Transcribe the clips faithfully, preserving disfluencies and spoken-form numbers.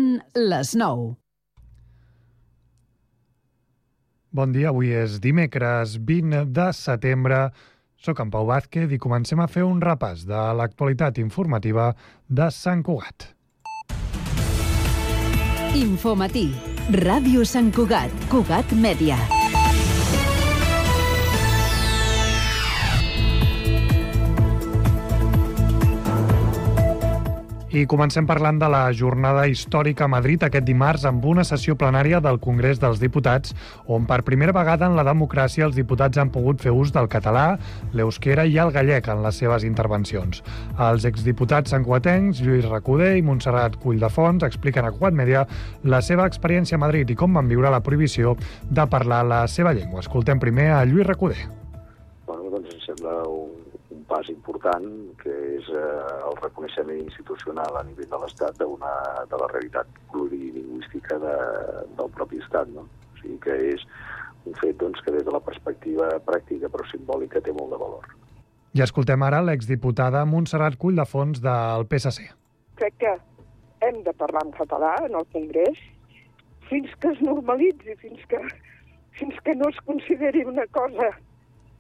Són les nou. Bon dia, avui és dimecres vint de setembre. Soc en Pau Vázquez i comencem a fer un repàs de l'actualitat informativa de Sant Cugat. Infomatí. Ràdio Sant Cugat. Cugat Mèdia. I comencem parlant de la jornada històrica a Madrid aquest dimarts amb una sessió plenària del Congrés dels Diputats on per primera vegada en la democràcia els diputats han pogut fer ús del català, l'euskera i el gallec en les seves intervencions. Els exdiputats santcugatencs Lluís Recoder i Montserrat Culldefons expliquen a Cugat Mèdia la seva experiència a Madrid i com van viure la prohibició de parlar la seva llengua. Escoltem primer a Lluís Recoder. Bueno, doncs em sembla un pas important, que és eh, el reconeixement institucional a nivell de l'Estat d'una de la realitat plurilingüística de, del propi Estat, no? O sigui que és un fet doncs, que des de la perspectiva pràctica però simbòlica té molt de valor. I escoltem ara l'exdiputada Montserrat Culldefons del P S C. Crec que hem de parlar en català en el Congrés fins que es normalitzi, fins que, fins que no es consideri una cosa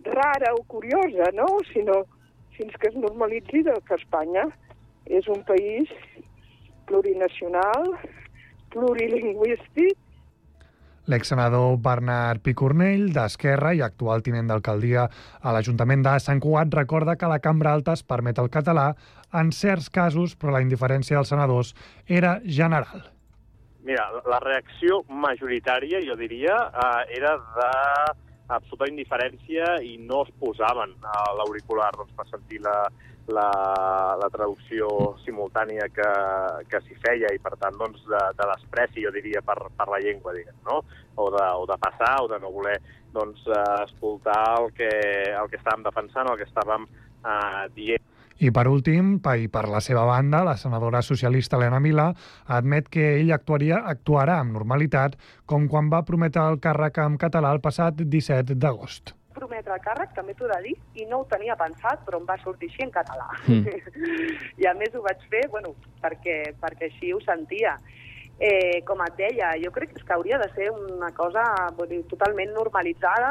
rara o curiosa, no? Sinó fins que es normalitzi que Espanya és un país plurinacional, plurilingüístic. L'exsenador Bernat Picornell, d'Esquerra i actual tinent d'alcaldia a l'Ajuntament de Sant Cugat, recorda que la Cambra Alta es permet el català en certs casos, però la indiferència dels senadors era general. Mira, la reacció majoritària, jo diria, eh, era de absoluta indiferència i no es posaven a l'auricular doncs, per sentir la, la, la traducció simultània que, que s'hi feia i, per tant, doncs, de, de despreci, jo diria, per, per la llengua, diguem, no? O de, o de passar o de no voler doncs, escoltar el que, el que estàvem defensant, el que estàvem eh, dient. I per últim, i per la seva banda, la senadora socialista Elena Milà admet que ell actuaria, actuarà amb normalitat com quan va prometre el càrrec en català el passat disset d'agost. Prometre el càrrec, també t'ho he de dir, i no ho tenia pensat, però em va sortir així en català. Mm. I a més ho vaig fer, bueno, perquè, perquè així ho sentia. Eh, com et deia, jo crec que hauria de ser una cosa vull dir, totalment normalitzada.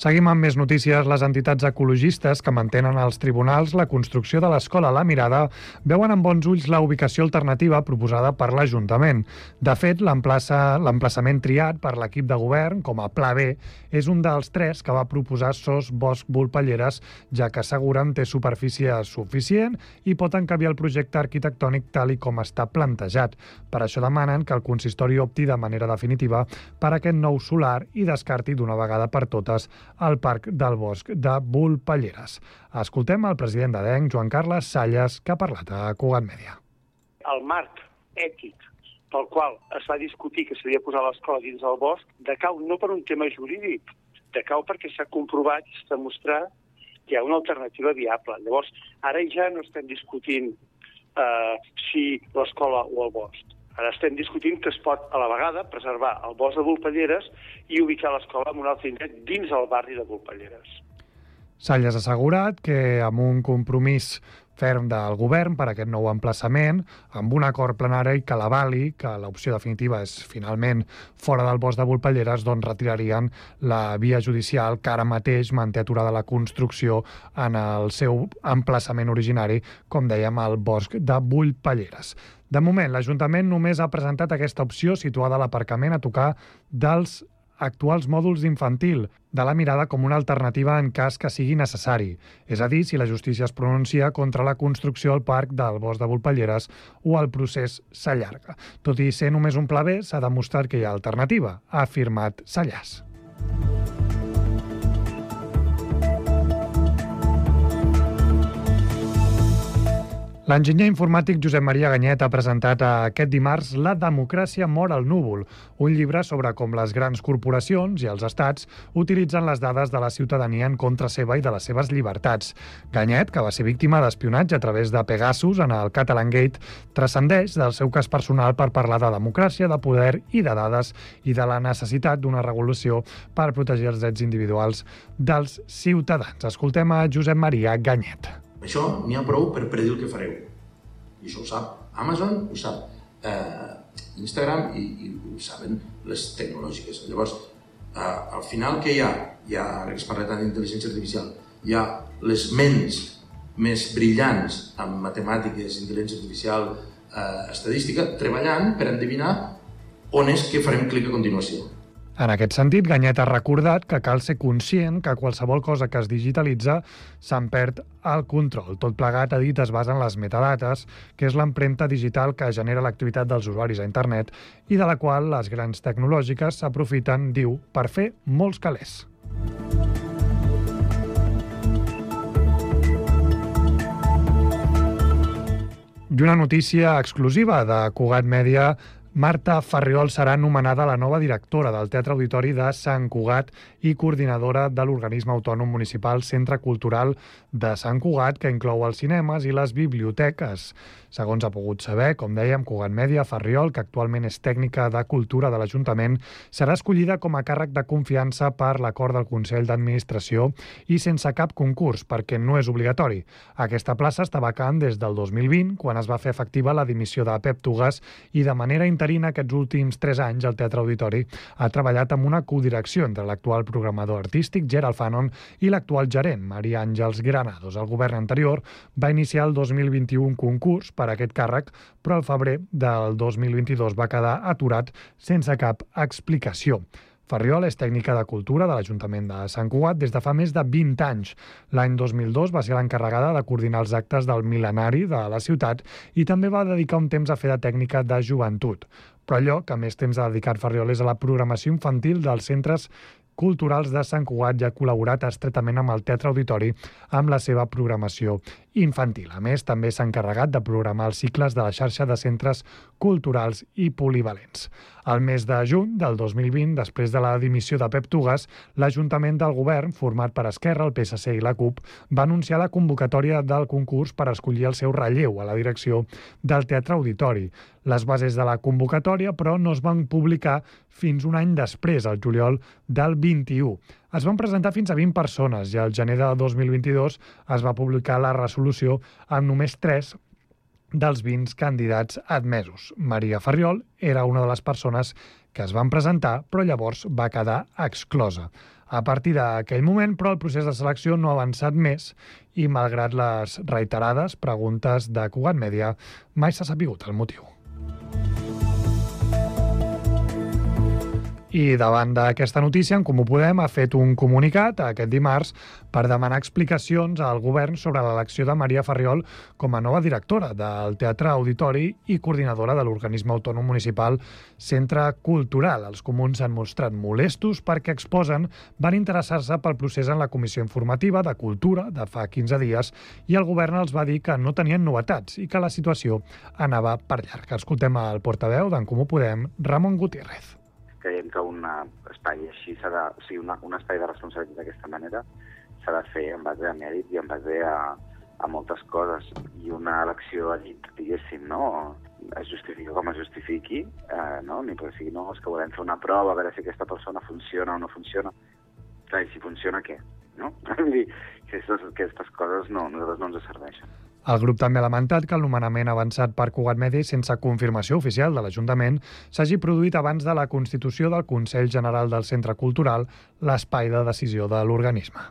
Seguim amb més notícies. Les entitats ecologistes que mantenen als tribunals la construcció de l'escola La Mirada veuen amb bons ulls la ubicació alternativa proposada per l'Ajuntament. De fet, l'emplaçament triat per l'equip de govern com a Pla B és un dels tres que va proposar Sos Bosc Volpelleres, ja que asseguren té superfície suficient i pot encabir el projecte arquitectònic tal i com està plantejat. Per això demanen que el consistori opti de manera definitiva per aquest nou solar i descarti d'una vegada per totes al Parc del Bosc de Volpelleres. Escoltem el president d'Adenc, Joan Carles Salles, que ha parlat a Cugat Mèdia. El marc ètic pel qual es va discutir que s'havia de posar l'escola dins del bosc decau no per un tema jurídic, decau perquè s'ha comprovat i s'ha demostrat que hi ha una alternativa viable. Llavors, ara ja no estem discutint eh, si l'escola o el bosc. Ara estem discutint que es pot, a la vegada, preservar el bosc de Volpelleres i ubicar l'escola en un altre indret dins el barri de Volpelleres. Salles ha assegurat que amb un compromís ferm del govern per a aquest nou emplaçament, amb un acord plenari que l'avali, que l'opció definitiva és finalment fora del bosc de Volpelleres, doncs retirarien la via judicial que ara mateix manté aturada la construcció en el seu emplaçament originari, com dèiem, al bosc de Volpelleres. De moment, l'Ajuntament només ha presentat aquesta opció situada a l'aparcament a tocar dels actuals mòduls infantil, de La Mirada com una alternativa en cas que sigui necessari. És a dir, si la justícia es pronuncia contra la construcció al parc del bosc de Volpelleres o el procés s'allarga. Tot i ser només un pla B, s'ha demostrat que hi ha alternativa, ha afirmat Sallàs. L'enginyer informàtic Josep Maria Ganyet ha presentat aquest dimarts La democràcia mor al núvol, un llibre sobre com les grans corporacions i els estats utilitzen les dades de la ciutadania en contra seva i de les seves llibertats. Ganyet, que va ser víctima d'espionatge a través de Pegasus en el Catalangate, transcendeix del seu cas personal per parlar de democràcia, de poder i de dades i de la necessitat d'una regulació per protegir els drets individuals dels ciutadans. Escoltem a Josep Maria Ganyet. Això n'hi ha prou per predir el que fareu. I això ho sap Amazon, ho sap eh, Instagram i, i ho saben les tecnològiques. Llavors, eh, al final què hi ha? Hi ha, ara que es parla tant d'intel·ligència artificial, hi ha les ments més brillants en matemàtiques, intel·ligència artificial, eh, estadística, treballant per endevinar on és que farem clic a continuació. En aquest sentit, Ganyet ha recordat que cal ser conscient que qualsevol cosa que es digitalitza se'n perd el control. Tot plegat, ha dit, es basa en les metadates, que és l'empremta digital que genera l'activitat dels usuaris a internet i de la qual les grans tecnològiques s'aprofiten, diu, per fer molts calés. I una notícia exclusiva de Cugat Mèdia: Marta Farriol serà nomenada la nova directora del Teatre Auditori de Sant Cugat i coordinadora de l'organisme autònom municipal Centre Cultural de Sant Cugat, que inclou els cinemes i les biblioteques. Segons ha pogut saber, com dèiem, Cugat Mèdia, Farriol, que actualment és tècnica de cultura de l'Ajuntament, serà escollida com a càrrec de confiança per l'acord del Consell d'Administració i sense cap concurs, perquè no és obligatori. Aquesta plaça està vacant des del dos mil vint, quan es va fer efectiva la dimissió de Pep Tugas, i de manera interina aquests últims tres anys el Teatre Auditori ha treballat amb una codirecció entre l'actual programador artístic, Gerald Fanon, i l'actual gerent, Maria Àngels Granados. El govern anterior va iniciar el dos mil vint-i-u un concurs per a aquest càrrec, però al febrer del dos mil vint-i-dos va quedar aturat sense cap explicació. Farriol és tècnica de cultura de l'Ajuntament de Sant Cugat des de fa més de vint anys. L'any dos mil dos va ser l'encarregada de coordinar els actes del mil·lenari de la ciutat i també va dedicar un temps a fer de tècnica de joventut. Però allò que més temps ha dedicat Farriol és a la programació infantil dels centres culturals de Sant Cugat i ha col·laborat estretament amb el Teatre Auditori amb la seva programació infantil. A més, també s'ha encarregat de programar els cicles de la xarxa de centres culturals i polivalents. Al mes de juny del dos mil vint, després de la dimissió de Pep Tugas, l'Ajuntament del Govern, format per Esquerra, el P S C i la CUP, va anunciar la convocatòria del concurs per escollir el seu relleu a la direcció del Teatre Auditori. Les bases de la convocatòria, però, no es van publicar fins un any després, al juliol del vint-i-u. Es van presentar fins a vint persones i al gener de dos mil vint-i-dos es va publicar la resolució amb només tres dels vint candidats admesos. Maria Farriol era una de les persones que es van presentar, però llavors va quedar exclosa. A partir d'aquell moment, però, el procés de selecció no ha avançat més i, malgrat les reiterades preguntes de Cugat Mèdia, mai s'ha sabut el motiu. I davant d'aquesta notícia, En Comú Podem ha fet un comunicat aquest dimarts per demanar explicacions al govern sobre l'elecció de Maria Farriol com a nova directora del Teatre Auditori i coordinadora de l'organisme autònom municipal Centre Cultural. Els comuns s'han mostrat molestos perquè, exposen, van interessar-se pel procés en la comissió informativa de Cultura de fa quinze dies i el govern els va dir que no tenien novetats i que la situació anava per llarg. Escoltem el portaveu d'En Comú Podem, Ramon Gutiérrez. Creiem que un espai així s'ha de, o sigui, una, un espai de responsabilitat d'aquesta manera s'ha de fer en base a mèrit i en base a, a moltes coses. I una elecció, diguéssim, no? Es justifica com es justifiqui, eh, no? Ni perquè sigui, no, és que volem fer una prova, a veure si aquesta persona funciona o no funciona. Clar, i si funciona, què? No? Vull dir, aquestes, aquestes coses no, nosaltres no ens serveixen. El grup també ha lamentat que el nomenament avançat per Cugat Mèdia sense confirmació oficial de l'Ajuntament s'hagi produït abans de la constitució del Consell General del Centre Cultural, l'espai de decisió de l'organisme.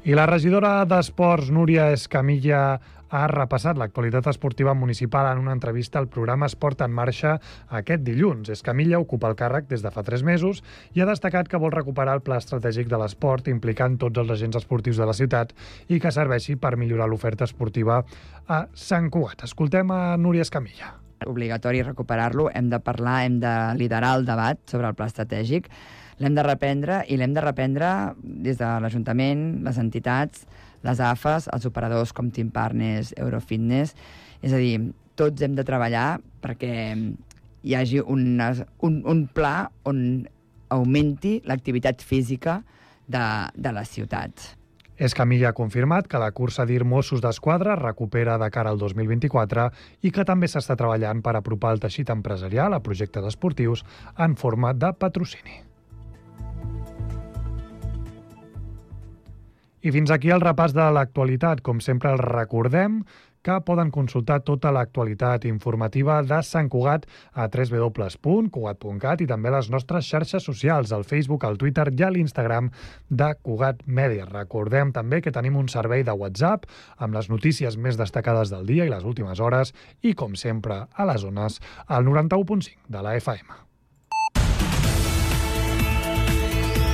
I la regidora d'Esports, Núria Escamilla, ha repassat l'actualitat esportiva municipal en una entrevista al programa Esport en Marxa aquest dilluns. Escamilla ocupa el càrrec des de fa tres mesos i ha destacat que vol recuperar el pla estratègic de l'esport implicant tots els agents esportius de la ciutat i que serveixi per millorar l'oferta esportiva a Sant Cugat. Escoltem a Núria Escamilla. Obligatori recuperar-lo, hem de parlar, hem de liderar el debat sobre el pla estratègic, l'hem de reprendre i l'hem de reprendre des de l'Ajuntament, les entitats, les A F Es, els operadors com Team Partners, Eurofitness. És a dir, tots hem de treballar perquè hi hagi una, un, un pla on augmenti l'activitat física de, de les ciutats. Escamilla ha confirmat que la cursa d'I R Mossos d'Esquadra recupera de cara al dos mil vint-i-quatre i que també s'està treballant per apropar el teixit empresarial a projectes esportius en forma de patrocini. I fins aquí el repàs de l'actualitat. Com sempre, els recordem que poden consultar tota l'actualitat informativa de Sant Cugat a w w w punt cugat punt cat i també les nostres xarxes socials, al Facebook, al Twitter i a l'Instagram de Cugat Mèdia. Recordem també que tenim un servei de WhatsApp amb les notícies més destacades del dia i les últimes hores i, com sempre, a les zones, al noranta-u punt cinc de la F M.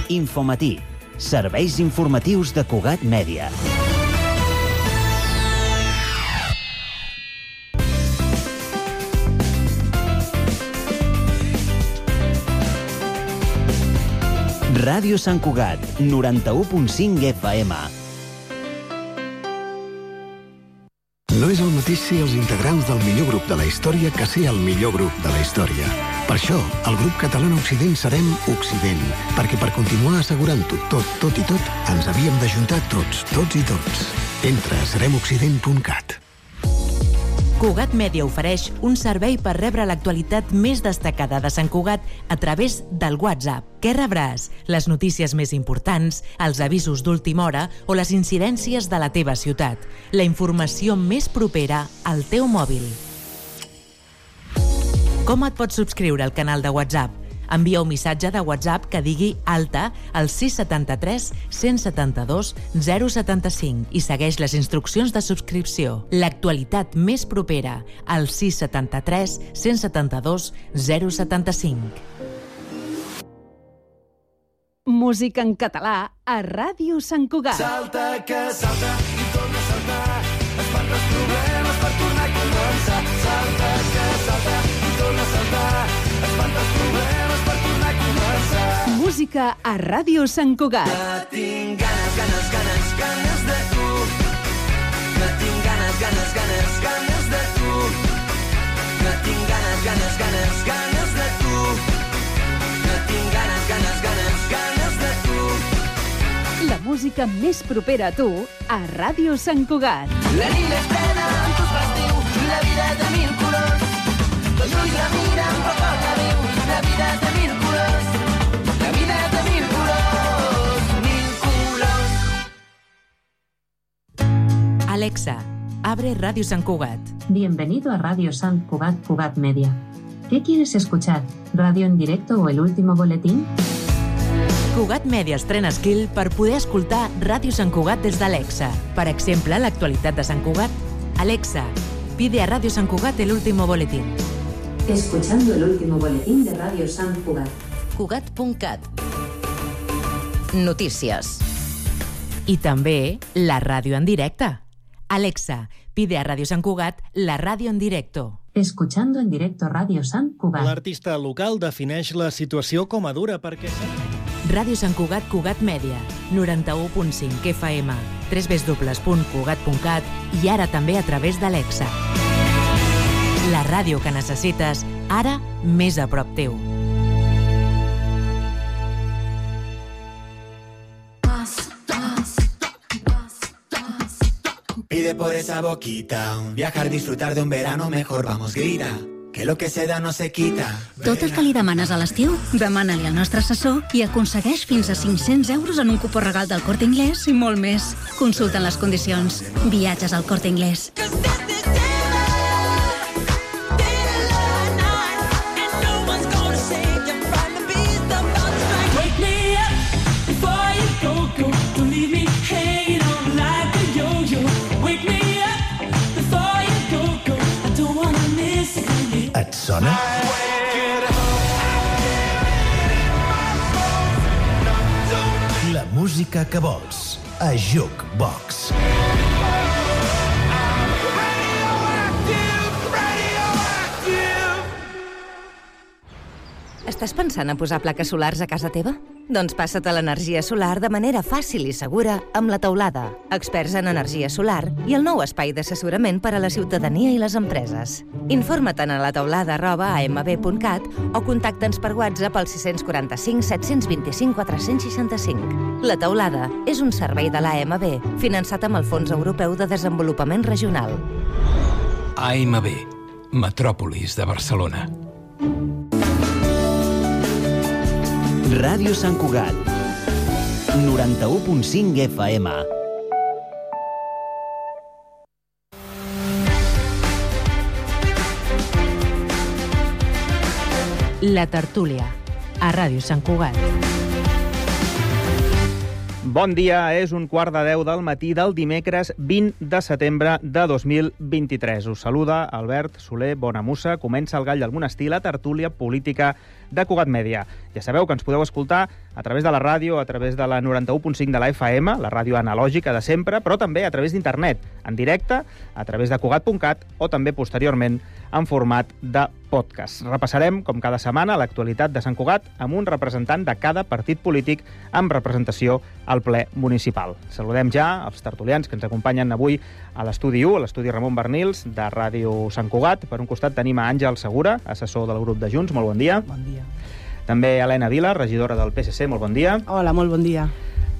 Infomatí. Serveis informatius de Cugat Mèdia. Ràdio Sant Cugat, noranta-u punt cinc F M. No és el mateix ser els integrants del millor grup de la història que ser el millor grup de la història. Per això, el grup català Occident serem Occident, perquè per continuar assegurant-ho tot, tot i tot, ens havíem d'ajuntar tots, tots i tots. Entra a serem occident punt cat. Cugat Mèdia ofereix un servei per rebre l'actualitat més destacada de Sant Cugat a través del WhatsApp. Què rebràs? Les notícies més importants, els avisos d'última hora o les incidències de la teva ciutat. La informació més propera al teu mòbil. Com et pots subscriure al canal de WhatsApp? Envia un missatge de WhatsApp que digui alta al sis setanta tres cent setanta dos zero setanta cinc i segueix les instruccions de subscripció. L'actualitat més propera al sis setanta tres cent setanta dos zero setanta cinc. Música en català a Ràdio Sant Cugat. Salta que salta i torna a saltar, espanta els problemes per tornar a començar. Salta que salta i torna a saltar, espanta els problemes per tornar a començar. Música a Ràdio Sant Cugat. Que tinc ganes, ganes, ganes, ganes de tu. Que tinc ganes, ganes, ganes, ganes de tu. Que tinc ganes, ganes, ganes, ganes de tu. Que tinc ganes, ganes, ganes, ganes de tu. La música més propera a tu a Ràdio Sant Cugat. La nit és plena amb tus festius, la vida de mil colors. Els ulls la miren però com la viu, la vida de mil colors. La vida de mil colors, mil colors. Alexa, abre Radio Sant Cugat. Bienvenido a Radio Sant Cugat, Cugat Media. ¿Qué quieres escuchar? ¿Radio en directo o el último boletín? Cugat Media estrena skill per poder escoltar Ràdio Sant Cugat des d'Alexa. Per exemple, l'actualitat de Sant Cugat. Alexa, pide a Radio Sant Cugat el último boletín. Escuchando el último boletín de Radio Sant Cugat. Cugat punt cat. Notícies. I també la ràdio en directe. Alexa, pide a Radio Sant Cugat la ràdio en directo. Escuchando en directo Radio Sant Cugat. L'artista local defineix la situació com a dura perquè... Ràdio Sant Cugat, Cugat Mèdia, noranta-u punt cinc F M, w w w punt cugat punt cat i ara també a través d'Alexa. La ràdio que necessites, ara més a prop teu. Pide por esa boquita, un viajar, disfrutar de un verano mejor, vamos, grita, que lo que se da no se quita. Tot el que li demanes a l'estiu, demana-li al nostre assessor i aconsegueix fins a cinc-cents euros en un cupó regal del Corte Inglés i molt més. Consulta les condicions. Viatges al Corte Inglés. Et sona? La música que vols a Jukebox. Estàs pensant a posar plaques solars a casa teva? Doncs passa't a l'energia solar de manera fàcil i segura amb La Teulada, experts en energia solar i el nou espai d'assessorament per a la ciutadania i les empreses. Informa't a la teulada arroba a m b punt cat o contacta'ns per WhatsApp al sis quatre cinc set dos cinc quatre sis cinc. La Teulada és un servei de l'A M B finançat amb el Fons Europeu de Desenvolupament Regional. A M B, Metròpolis de Barcelona. Ràdio Sant Cugat. noranta-u punt cinc F M. La tertúlia, a Ràdio Sant Cugat. Bon dia, és un quart de deu del matí del dimecres vint de setembre de dos mil vint-i-tres. Us saluda Albert Soler Bonamussa. Comença el Gall del Monestir, la tertúlia política de Cugat Mèdia. Ja sabeu que ens podeu escoltar a través de la ràdio, a través de la noranta-u punt cinc de la F M, la ràdio analògica de sempre, però també a través d'internet, en directe, a través de cugat punt cat o també posteriorment en format de podcast. Repassarem, com cada setmana, l'actualitat de Sant Cugat amb un representant de cada partit polític amb representació al ple municipal. Saludem ja els tertulians que ens acompanyen avui a l'estudi u, a l'estudi Ramon Bernils, de Ràdio Sant Cugat. Per un costat tenim a Àngel Segura, assessor del grup de Junts. Molt bon dia. Bon dia. També Helena Vila, regidora del P S C. Molt bon dia. Hola, molt bon dia.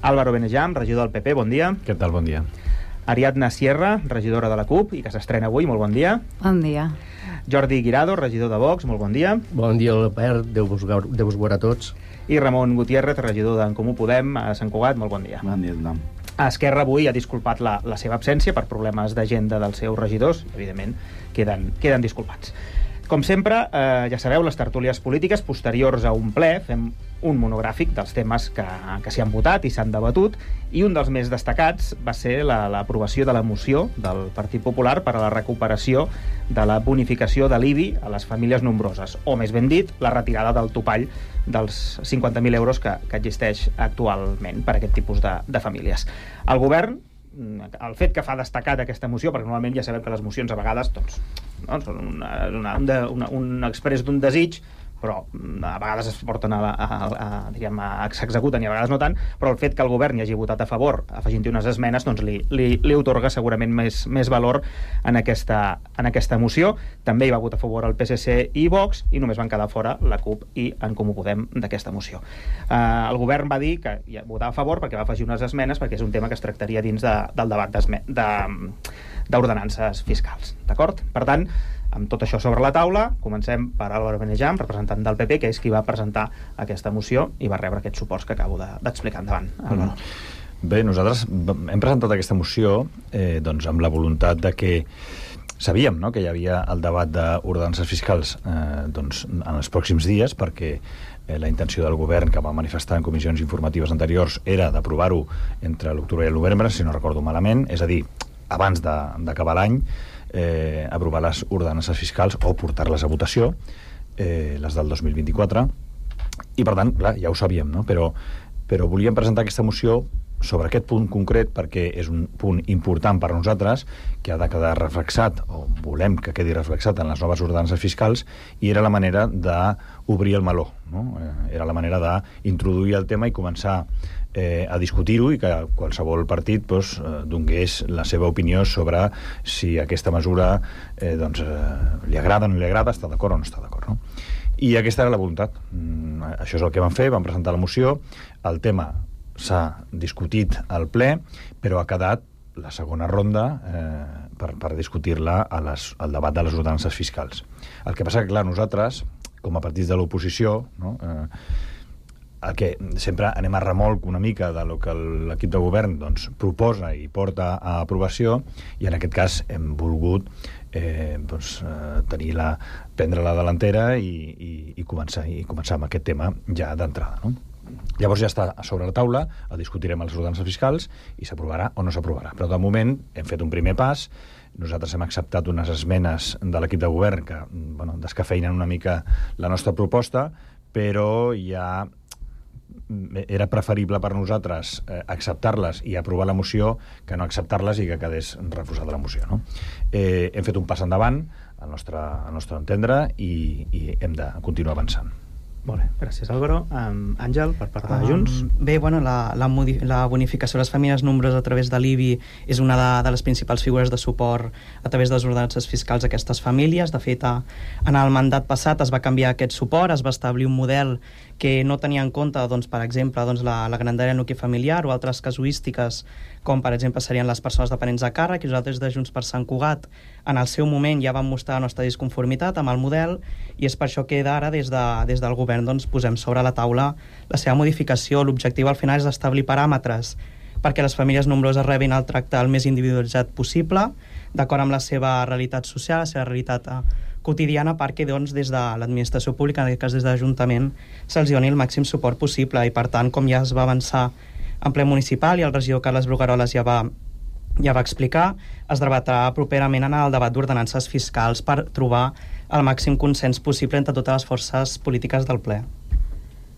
Álvaro Benejam, regidor del P P. Bon dia. Què tal? Bon dia. Ariadna Sierra, regidora de la CUP i que s'estrena avui. Molt bon dia. Bon dia. Jordi Guirado, regidor de Vox. Molt bon dia. Bon dia, Albert. Déu-vos Déu veure a tots. I Ramon Gutiérrez, regidor d'en Comú Podem a Sant Cugat. Molt bon dia. Bon dia, tothom. Esquerra avui ha disculpat la, la seva absència per problemes d'agenda dels seus regidors. Evidentment, queden, queden disculpats. Com sempre, eh, ja sabeu, les tertúlies polítiques posteriors a un ple fem un monogràfic dels temes que, que s'hi han votat i s'han debatut, i un dels més destacats va ser l'aprovació la, de la moció del Partit Popular per a la recuperació de la bonificació de l'I B I a les famílies nombroses, o més ben dit, la retirada del topall dels cinquanta mil euros que, que existeix actualment per a aquest tipus de, de famílies. El govern, el fet que fa destacat aquesta moció, perquè normalment ja sabem que les mocions a vegades doncs, no, són una, una, una, un exprés d'un desig, però a vegades es porten a, a, a, diguem, a s'executen i a vegades no tant, però el fet que el govern hi hagi votat a favor afegint-hi unes esmenes doncs li, li, li otorga segurament més, més valor en aquesta, en aquesta moció. També hi va votar a favor el P S C i Vox i només van quedar fora la CUP i en Comú Podem d'aquesta moció. Eh, el govern va dir que hi votava a favor perquè va afegir unes esmenes perquè és un tema que es tractaria dins de, del debat d'ordenances fiscals. D'acord? Per tant, amb tot això sobre la taula, comencem per Álvaro Benejam, representant del P P, que és qui va presentar aquesta moció i va rebre aquests suports que acabo d'explicar. De, endavant, Álvaro. Bé, nosaltres hem presentat aquesta moció eh, doncs, amb la voluntat de que sabíem, no?, que hi havia el debat d'ordenances fiscals eh, doncs, en els pròxims dies, perquè eh, la intenció del govern, que va manifestar en comissions informatives anteriors, era d'aprovar-ho entre l'octubre i el novembre, si no recordo malament, és a dir, abans d'acabar l'any, eh, aprovar les ordenances fiscals o portar-les a votació, eh, les del dos mil vint-i-quatre, i per tant, clar, ja ho sabíem, no? Però, però volíem presentar aquesta moció sobre aquest punt concret perquè és un punt important per nosaltres que ha de quedar reflexat, o volem que quedi reflexat en les noves ordenances fiscals, i era la manera d'obrir el meló, no? Eh, era la manera d'introduir el tema i començar eh, a discutir-ho i que qualsevol partit doncs, eh, donés la seva opinió sobre si aquesta mesura eh, doncs, eh, li agrada o no li agrada, està d'acord o no està d'acord, no? I aquesta era la voluntat. Mm, això és el que vam fer, vam presentar la moció, el tema s'ha discutit al ple, però ha quedat la segona ronda eh, per, per discutir-la al debat de les ordenances fiscals. El que passa que, clar, nosaltres, com a partits de l'oposició, no, eh, el que sempre anem a remolc una mica de lo que l'equip de govern doncs, proposa i porta a aprovació, i en aquest cas hem volgut eh, doncs, eh, tenir la, prendre la delantera i, i, i, començar, i començar amb aquest tema ja d'entrada, no? Llavors ja està sobre la taula, el discutirem a les ordenances fiscals i s'aprovarà o no s'aprovarà. Però de moment hem fet un primer pas, nosaltres hem acceptat unes esmenes de l'equip de govern que bueno, descafeïnen una mica la nostra proposta, però ja era preferible per nosaltres eh, acceptar-les i aprovar la moció que no acceptar-les i que quedés refusada la moció, no? Eh, hem fet un pas endavant al nostre, al nostre entendre i, i hem de continuar avançant. Molt bé, gràcies Álvaro. Um, Àngel, per part de Junts. Um, bé, bueno, la, la, la bonificació de les famílies nombroses a través de l'I B I és una de, de les principals figures de suport a través de les ordenances fiscals a aquestes famílies. De fet, a, en el mandat passat es va canviar aquest suport, es va establir un model que no tenia en compte, doncs, per exemple, doncs, la, la grandària nucli familiar o altres casuístiques, com per exemple serien les persones dependents a càrrec, i nosaltres de Junts per Sant Cugat en el seu moment ja vam mostrar la nostra disconformitat amb el model, i és per això que ara des, de, des del govern doncs, posem sobre la taula la seva modificació. L'objectiu al final és establir paràmetres perquè les famílies nombroses rebin el tracte el més individualitzat possible, d'acord amb la seva realitat social, la seva realitat eh, quotidiana, perquè doncs, des de l'administració pública, en aquest cas des de l'Ajuntament, se'ls doni el màxim suport possible. I per tant, com ja es va avançar en ple municipal i el regidor Carles Brugueroles ja va, ja va explicar, es debatrà properament en el debat d'ordenances fiscals per trobar el màxim consens possible entre totes les forces polítiques del ple.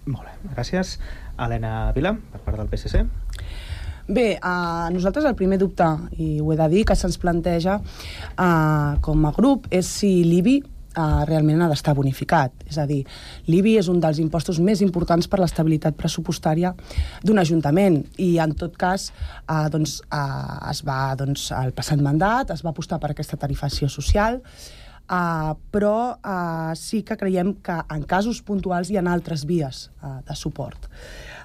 Molt bé, gràcies. Helena Vila, per part del P S C. Bé, a nosaltres el primer dubte, i ho he de dir, que se'ns planteja uh, com a grup és si l'I B I uh, realment ha d'estar bonificat. És a dir, l'I B I és un dels impostos més importants per l'estabilitat pressupostària d'un ajuntament, i en tot cas uh, doncs, uh, es va, doncs, al passat mandat es va apostar per aquesta tarifació social, Uh, però uh, sí que creiem que en casos puntuals hi ha altres vies uh, de suport.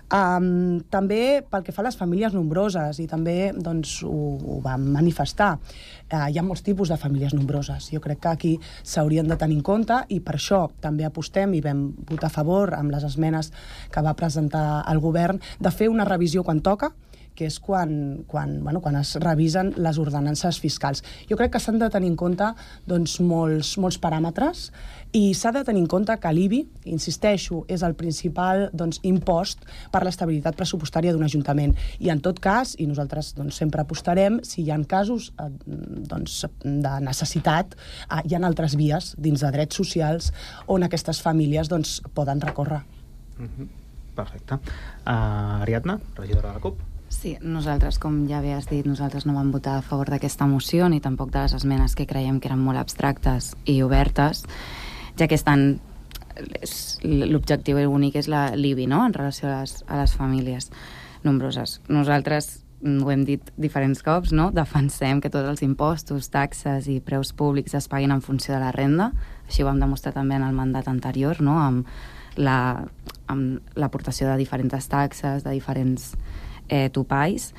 Um, també pel que fa a les famílies nombroses, i també doncs, ho, ho vam manifestar, uh, hi ha molts tipus de famílies nombroses. Jo crec que aquí s'haurien de tenir en compte, i per això també apostem i vam votar a favor amb les esmenes que va presentar el govern de fer una revisió quan toca, que és quan, quan, bueno, quan es revisen les ordenances fiscals. Jo crec que s'han de tenir en compte doncs, molts, molts paràmetres, i s'ha de tenir en compte que l'I B I, insisteixo, és el principal doncs, impost per l'estabilitat pressupostària d'un ajuntament. I en tot cas, i nosaltres doncs, sempre apostarem, si hi ha casos eh, doncs, de necessitat, eh, hi ha altres vies dins de drets socials on aquestes famílies doncs, poden recórrer. Mm-hmm. Perfecte. Uh, Ariadna, regidora de la CUP. Sí, nosaltres, com ja bé has dit, nosaltres no vam votar a favor d'aquesta moció ni tampoc de les esmenes que creiem que eren molt abstractes i obertes, ja que estan... l'objectiu únic és l'I B I, no?, en relació a les, a les famílies nombroses. Nosaltres, ho hem dit diferents cops, no?, defensem que tots els impostos, taxes i preus públics es paguin en funció de la renda. Així ho vam demostrar també en el mandat anterior, no?, amb la, amb l'aportació de diferents taxes, de diferents eh, topalls,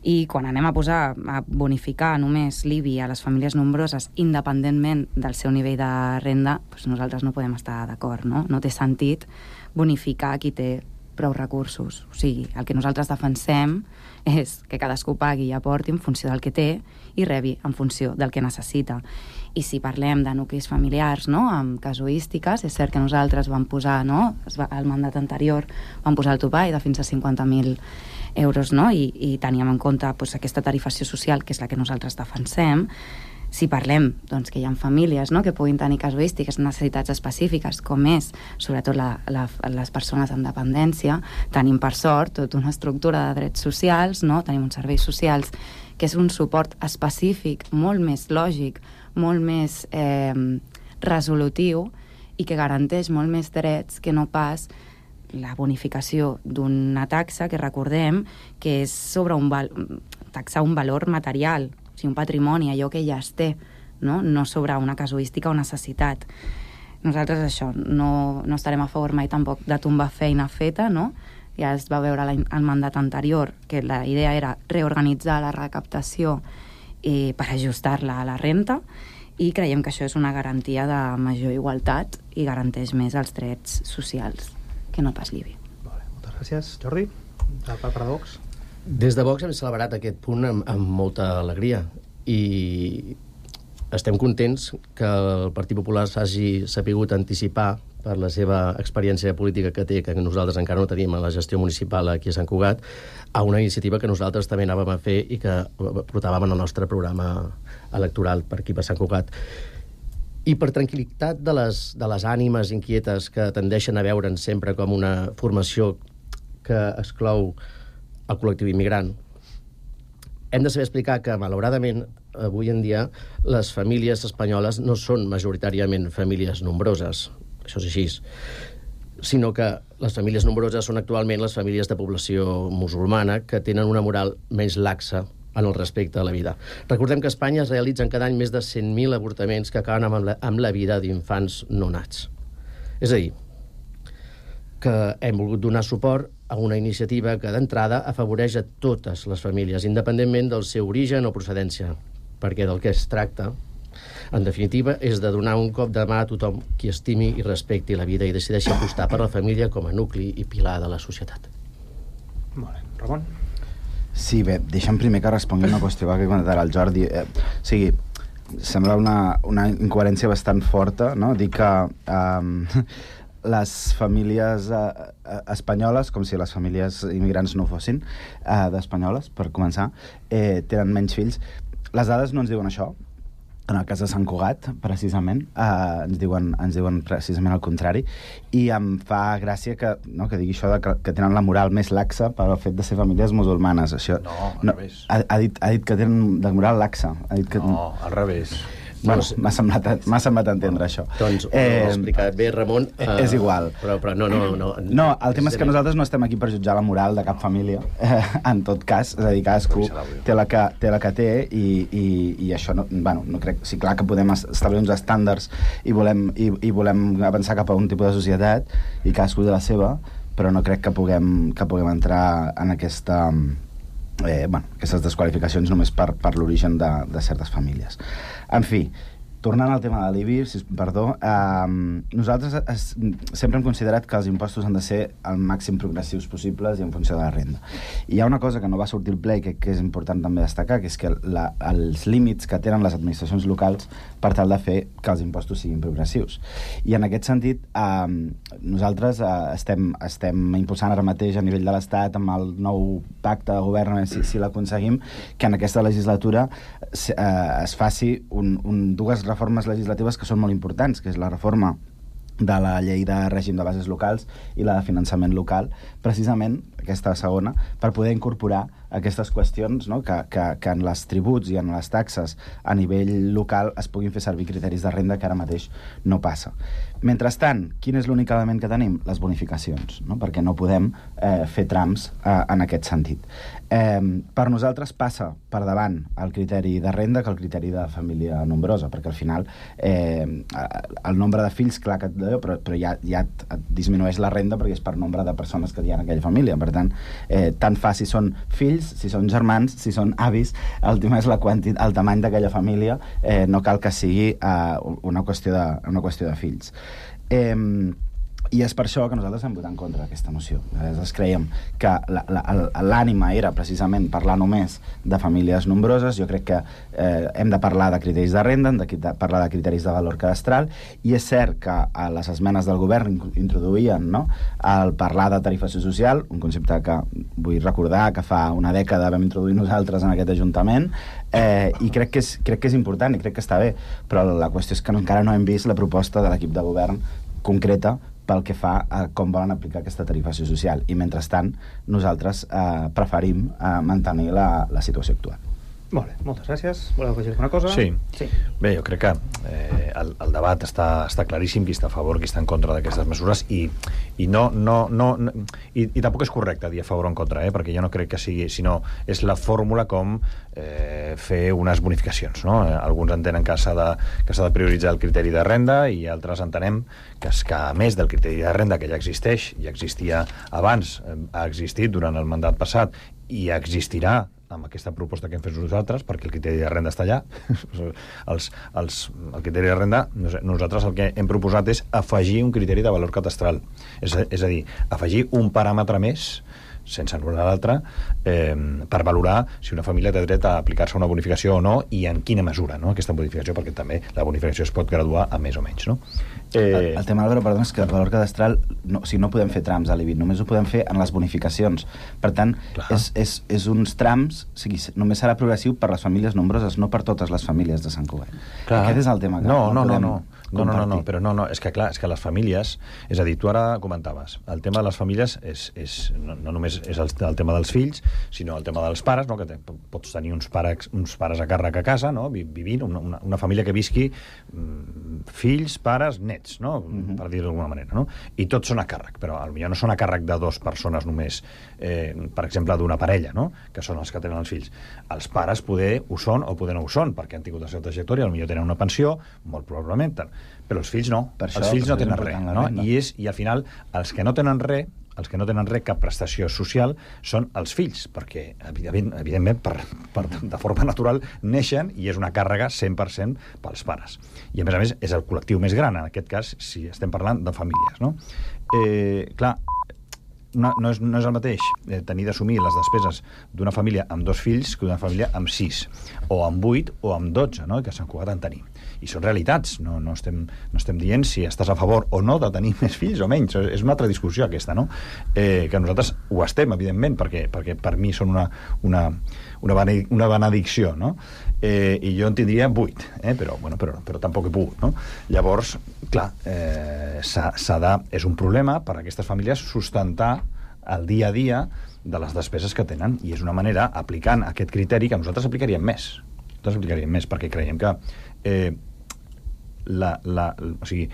i quan anem a posar, a bonificar només l'I B I a les famílies nombroses independentment del seu nivell de renda, doncs nosaltres no podem estar d'acord, no? No té sentit bonificar qui té prou recursos. O sigui, el que nosaltres defensem és que cadascú pagui i aporti en funció del que té i rebi en funció del que necessita. I si parlem de nuclis familiars, no?, amb casuístiques, és cert que nosaltres vam posar, no?, al mandat anterior vam posar el topall de fins a cinquanta mil euros, no?, i, i teníem en compte doncs, aquesta tarifació social, que és la que nosaltres defensem. Si parlem doncs, que hi ha famílies, no?, que puguin tenir casuístiques, necessitats específiques, com és, sobretot, la, la, les persones amb dependència, tenim, per sort, tota una estructura de drets socials, no?, tenim uns serveis socials que és un suport específic, molt més lògic, molt més eh, resolutiu, i que garanteix molt més drets que no pas la bonificació d'una taxa que recordem que és sobre un val taxa un valor material, o sigui, un patrimoni, allò que ja es té, no, no sobre una casuística o necessitat. Nosaltres això, no, no estarem a favor mai tampoc de tombar feina feta, no? Ja es va veure al mandat anterior que la idea era reorganitzar la recaptació eh, per ajustar-la a la renta, i creiem que això és una garantia de major igualtat i garanteix més els drets socials que no pas l'I B I. Vale, moltes gràcies. Jordi, de part de Vox. Des de Vox hem celebrat aquest punt amb, amb molta alegria, i estem contents que el Partit Popular s'hagi sapigut anticipar per la seva experiència política que té, que nosaltres encara no tenim a la gestió municipal aquí a Sant Cugat, a una iniciativa que nosaltres també anàvem a fer i que portàvem en el nostre programa electoral per aquí, per Sant Cugat. I per tranquil·litat de les, de les ànimes inquietes que tendeixen a veure'n sempre com una formació que exclou el col·lectiu immigrant, hem de saber explicar que, malauradament, avui en dia, les famílies espanyoles no són majoritàriament famílies nombroses, això és així, sinó que les famílies nombroses són actualment les famílies de població musulmana que tenen una moral menys laxa en el respecte a la vida. Recordem que a Espanya es realitzen cada any més de cent mil avortaments que acaben amb la, amb la vida d'infants no nats. És a dir, que hem volgut donar suport a una iniciativa que d'entrada afavoreix a totes les famílies, independentment del seu origen o procedència, perquè del que es tracta, en definitiva, és de donar un cop de mà a tothom qui estimi i respecti la vida i decideixi apostar per la família com a nucli i pilar de la societat. Molt bé. Ramon? Sí, bé, deixa'm primer que respongui una qüestió que ha comentat el Jordi. Eh, o sigui, sembla una, una incoherència bastant forta, no? Dir que eh, les famílies eh, espanyoles, com si les famílies immigrants no fossin, eh, d'espanyoles, per començar, eh, tenen menys fills. Les dades no ens diuen això. En el cas de Sant Cugat, precisament, eh, ens, diuen, ens diuen precisament el contrari, i em fa gràcia que, no, que digui això de que, que tenen la moral més laxa per el fet de ser famílies musulmanes. Això, no, al no, revés. Ha, ha, dit, ha dit que tenen de moral laxa. Ha dit que... No, al revés. Bueno, m'ha semblat, m'ha semblat entendre això. Doncs ho eh, he explicat bé, Ramon. Eh, és igual. Però, però no, no, no. No, el tema és que nosaltres no estem aquí per jutjar la moral de cap família, eh, en tot cas. És a dir, cadascú té la que té, la que té i, i, i això no, bueno, no crec... Sí, clar que podem establir uns estàndards i volem, i, i volem avançar cap a un tipus de societat i cadascú de la seva, però no crec que puguem, que puguem entrar en aquesta... Eh, bueno, aquestes desqualificacions només per, per l'origen de, de certes famílies. En fi, tornant al tema de l'I B I, si, perdó, eh, nosaltres es, sempre hem considerat que els impostos han de ser el màxim progressius possibles i en funció de la renda. I hi ha una cosa que no va sortir al ple i que, que és important també destacar, que és que la, els límits que tenen les administracions locals per tal de fer que els impostos siguin progressius. I en aquest sentit, eh, nosaltres eh, estem, estem impulsant ara mateix a nivell de l'Estat amb el nou pacte de govern, si, si l'aconseguim, que en aquesta legislatura eh, es faci un, un, dues reformes legislatives que són molt importants, que és la reforma de la llei de règim de bases locals i la de finançament local, precisament aquesta segona, per poder incorporar aquestes qüestions, no? que, que, que en les tributs i en les taxes a nivell local es puguin fer servir criteris de renda que ara mateix no passa. Mentrestant, quin és l'únic element que tenim? Les bonificacions, no? Perquè no podem eh, fer trams eh, en aquest sentit. Eh, per nosaltres passa per davant el criteri de renda que el criteri de família nombrosa, perquè al final eh, el nombre de fills, clar que et deu, però, però ja, ja et, et disminueix la renda perquè és per nombre de persones que hi ha en aquella família. Per tant, eh, tant fa si són fills, si són germans, si són avis, el tema és la quantitat, el tamany d'aquella família, eh, no cal que sigui eh, una, qüestió de, una qüestió de fills. Eh, I és per això que nosaltres hem votat en contra d'aquesta moció. Nosaltres creiem que l'ànima era precisament parlar només de famílies nombroses. Jo crec que eh, hem de parlar de criteris de renda, hem de parlar de criteris de valor cadastral, i és cert que a les esmenes del govern introduïen, no?, el parlar de tarifació social, un concepte que vull recordar que fa una dècada vam introduir nosaltres en aquest Ajuntament, eh, i crec que, és, crec que és important i crec que està bé, però la qüestió és que encara no hem vist la proposta de l'equip de govern concreta pel que fa a com volen aplicar aquesta tarifació social. I, mentrestant, nosaltres eh, preferim eh, mantenir la, la situació actual. Molt bé, moltes gràcies. Voleu afegir alguna cosa? Sí. sí. Bé, jo crec que eh, el, el debat està, està claríssim, qui està a favor, qui està en contra d'aquestes mesures, i, i no, no, no, no i, i tampoc és correcte dir a favor o en contra, eh, perquè jo no crec que sigui, sinó és la fórmula com eh, fer unes bonificacions, no? Eh, alguns entenen que s'ha de, que s'ha de prioritzar el criteri de renda, i altres entenem que, és que a més del criteri de renda, que ja existeix, ja existia abans, eh, ha existit durant el mandat passat i existirà amb aquesta proposta que hem fet nosaltres, perquè el criteri de renda està allà. els, els, el criteri de renda, nosaltres el que hem proposat és afegir un criteri de valor catastral. És a, és a dir, afegir un paràmetre més, sense anul·lar l'altre, eh, per valorar si una família té dret a aplicar-se una bonificació o no, i en quina mesura, no?, aquesta bonificació, perquè també la bonificació es pot graduar a més o menys, no? Eh... El, el tema, Álvaro, perdona, és que el valor cadastral, no, o sigui, no podem fer trams a l'I B I, només ho podem fer en les bonificacions. Per tant, és, és, és uns trams, o sigui, només serà progressiu per les famílies nombroses, no per totes les famílies de Sant Cugat. Clar. Aquest és el tema que no, no, no no, no. No, no, no, no, però no, no, és que clar, és que les famílies, és a dir, tu ara comentaves, el tema de les famílies és, és no, no només és el, el tema dels fills, sinó el tema dels pares, no?, que te, pots tenir uns pares, uns pares a càrrec a casa, no?, vivint, una, una família que visqui mm, fills, pares, nets, no? Mm-hmm. Per dir-ho d'alguna manera, no? I tots són a càrrec, però potser no són a càrrec de dues persones només, eh, per exemple, d'una parella, no? Que són els que tenen els fills. Els pares poder ho són o poder no ho són, perquè han tingut la seva trajectòria, potser tenen una pensió, molt probablement, però els fills no. Per els això, fills no tenen res, no? I, és, I al final, els que no tenen res, els que no tenen res, cap prestació social, són els fills, perquè, evidentment, evidentment per, per, de forma natural, neixen i és una càrrega cent per cent pels pares. I, a més a més, és el col·lectiu més gran, en aquest cas, si estem parlant de famílies, no? Eh, clar, no, no, és, no és el mateix eh, tenir d'assumir les despeses d'una família amb dos fills que d'una família amb sis, o amb vuit, o amb dotze, no? Que s'han cugat en tenir. I són realitats, no, no, estem, no estem dient si estàs a favor o no de tenir més fills o menys, és una altra discussió aquesta, no? Eh, que nosaltres ho estem, evidentment, perquè, perquè per mi són una, una, una, bene, una benedicció, no? Eh, i jo en tindria vuit, eh? però, bueno, però, però tampoc he pogut, no? Llavors, clar, eh, s'ha, s'ha de, és un problema per a aquestes famílies sustentar el dia a dia de les despeses que tenen, i és una manera, aplicant aquest criteri, que nosaltres aplicaríem més. Nosaltres aplicaríem més, perquè creiem que eh, la, la, o sigui,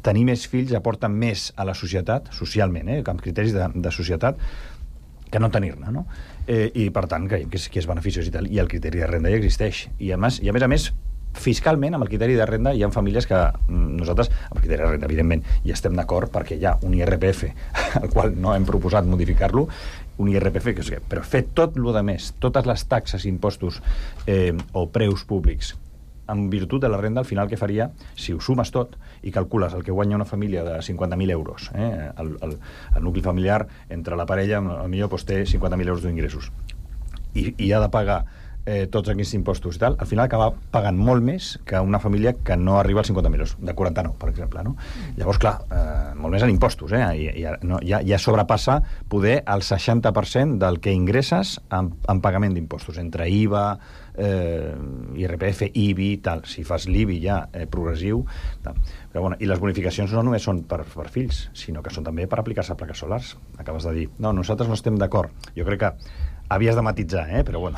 tenir més fills aporta més a la societat, socialment, eh, amb criteris de, de societat, que no tenir-ne, no? Eh, I, per tant, creiem que és, que és beneficiós i tal, i el criteri de renda ja existeix. I, a més, i a més a més, fiscalment, amb el criteri de renda, hi ha famílies que nosaltres, amb el criteri de renda, evidentment, hi estem d'acord, perquè hi ha un I R P F, al qual no hem proposat modificar-lo, un I R P F, que és, però fer tot el de més, totes les taxes, impostos eh, o preus públics, en virtut de la renda, al final què faria, si ho sumes tot i calcules el que guanya una família de cinquanta mil euros, eh, el, el, el nucli familiar entre la parella, potser doncs, té cinquanta mil euros d'ingressos, i, i ha de pagar eh, tots aquests impostos i tal, al final acaba pagant molt més que una família que no arriba als cinquanta mil euros, de quaranta-nou, per exemple, no? Llavors, clar, eh, molt més en impostos, eh? I, i, no, ja, ja sobrepassa poder el seixanta per cent del que ingresses en, en pagament d'impostos, entre I V A, eh, I R P F, I B I, tal. Si fas l'I B I ja eh, progressiu, tal. Però, bueno, i les bonificacions no només són per, per fills, sinó que són també per aplicar-se a plaques solars. Acabes de dir, no, nosaltres no estem d'acord. Jo crec que havies de matitzar, eh? Però bueno.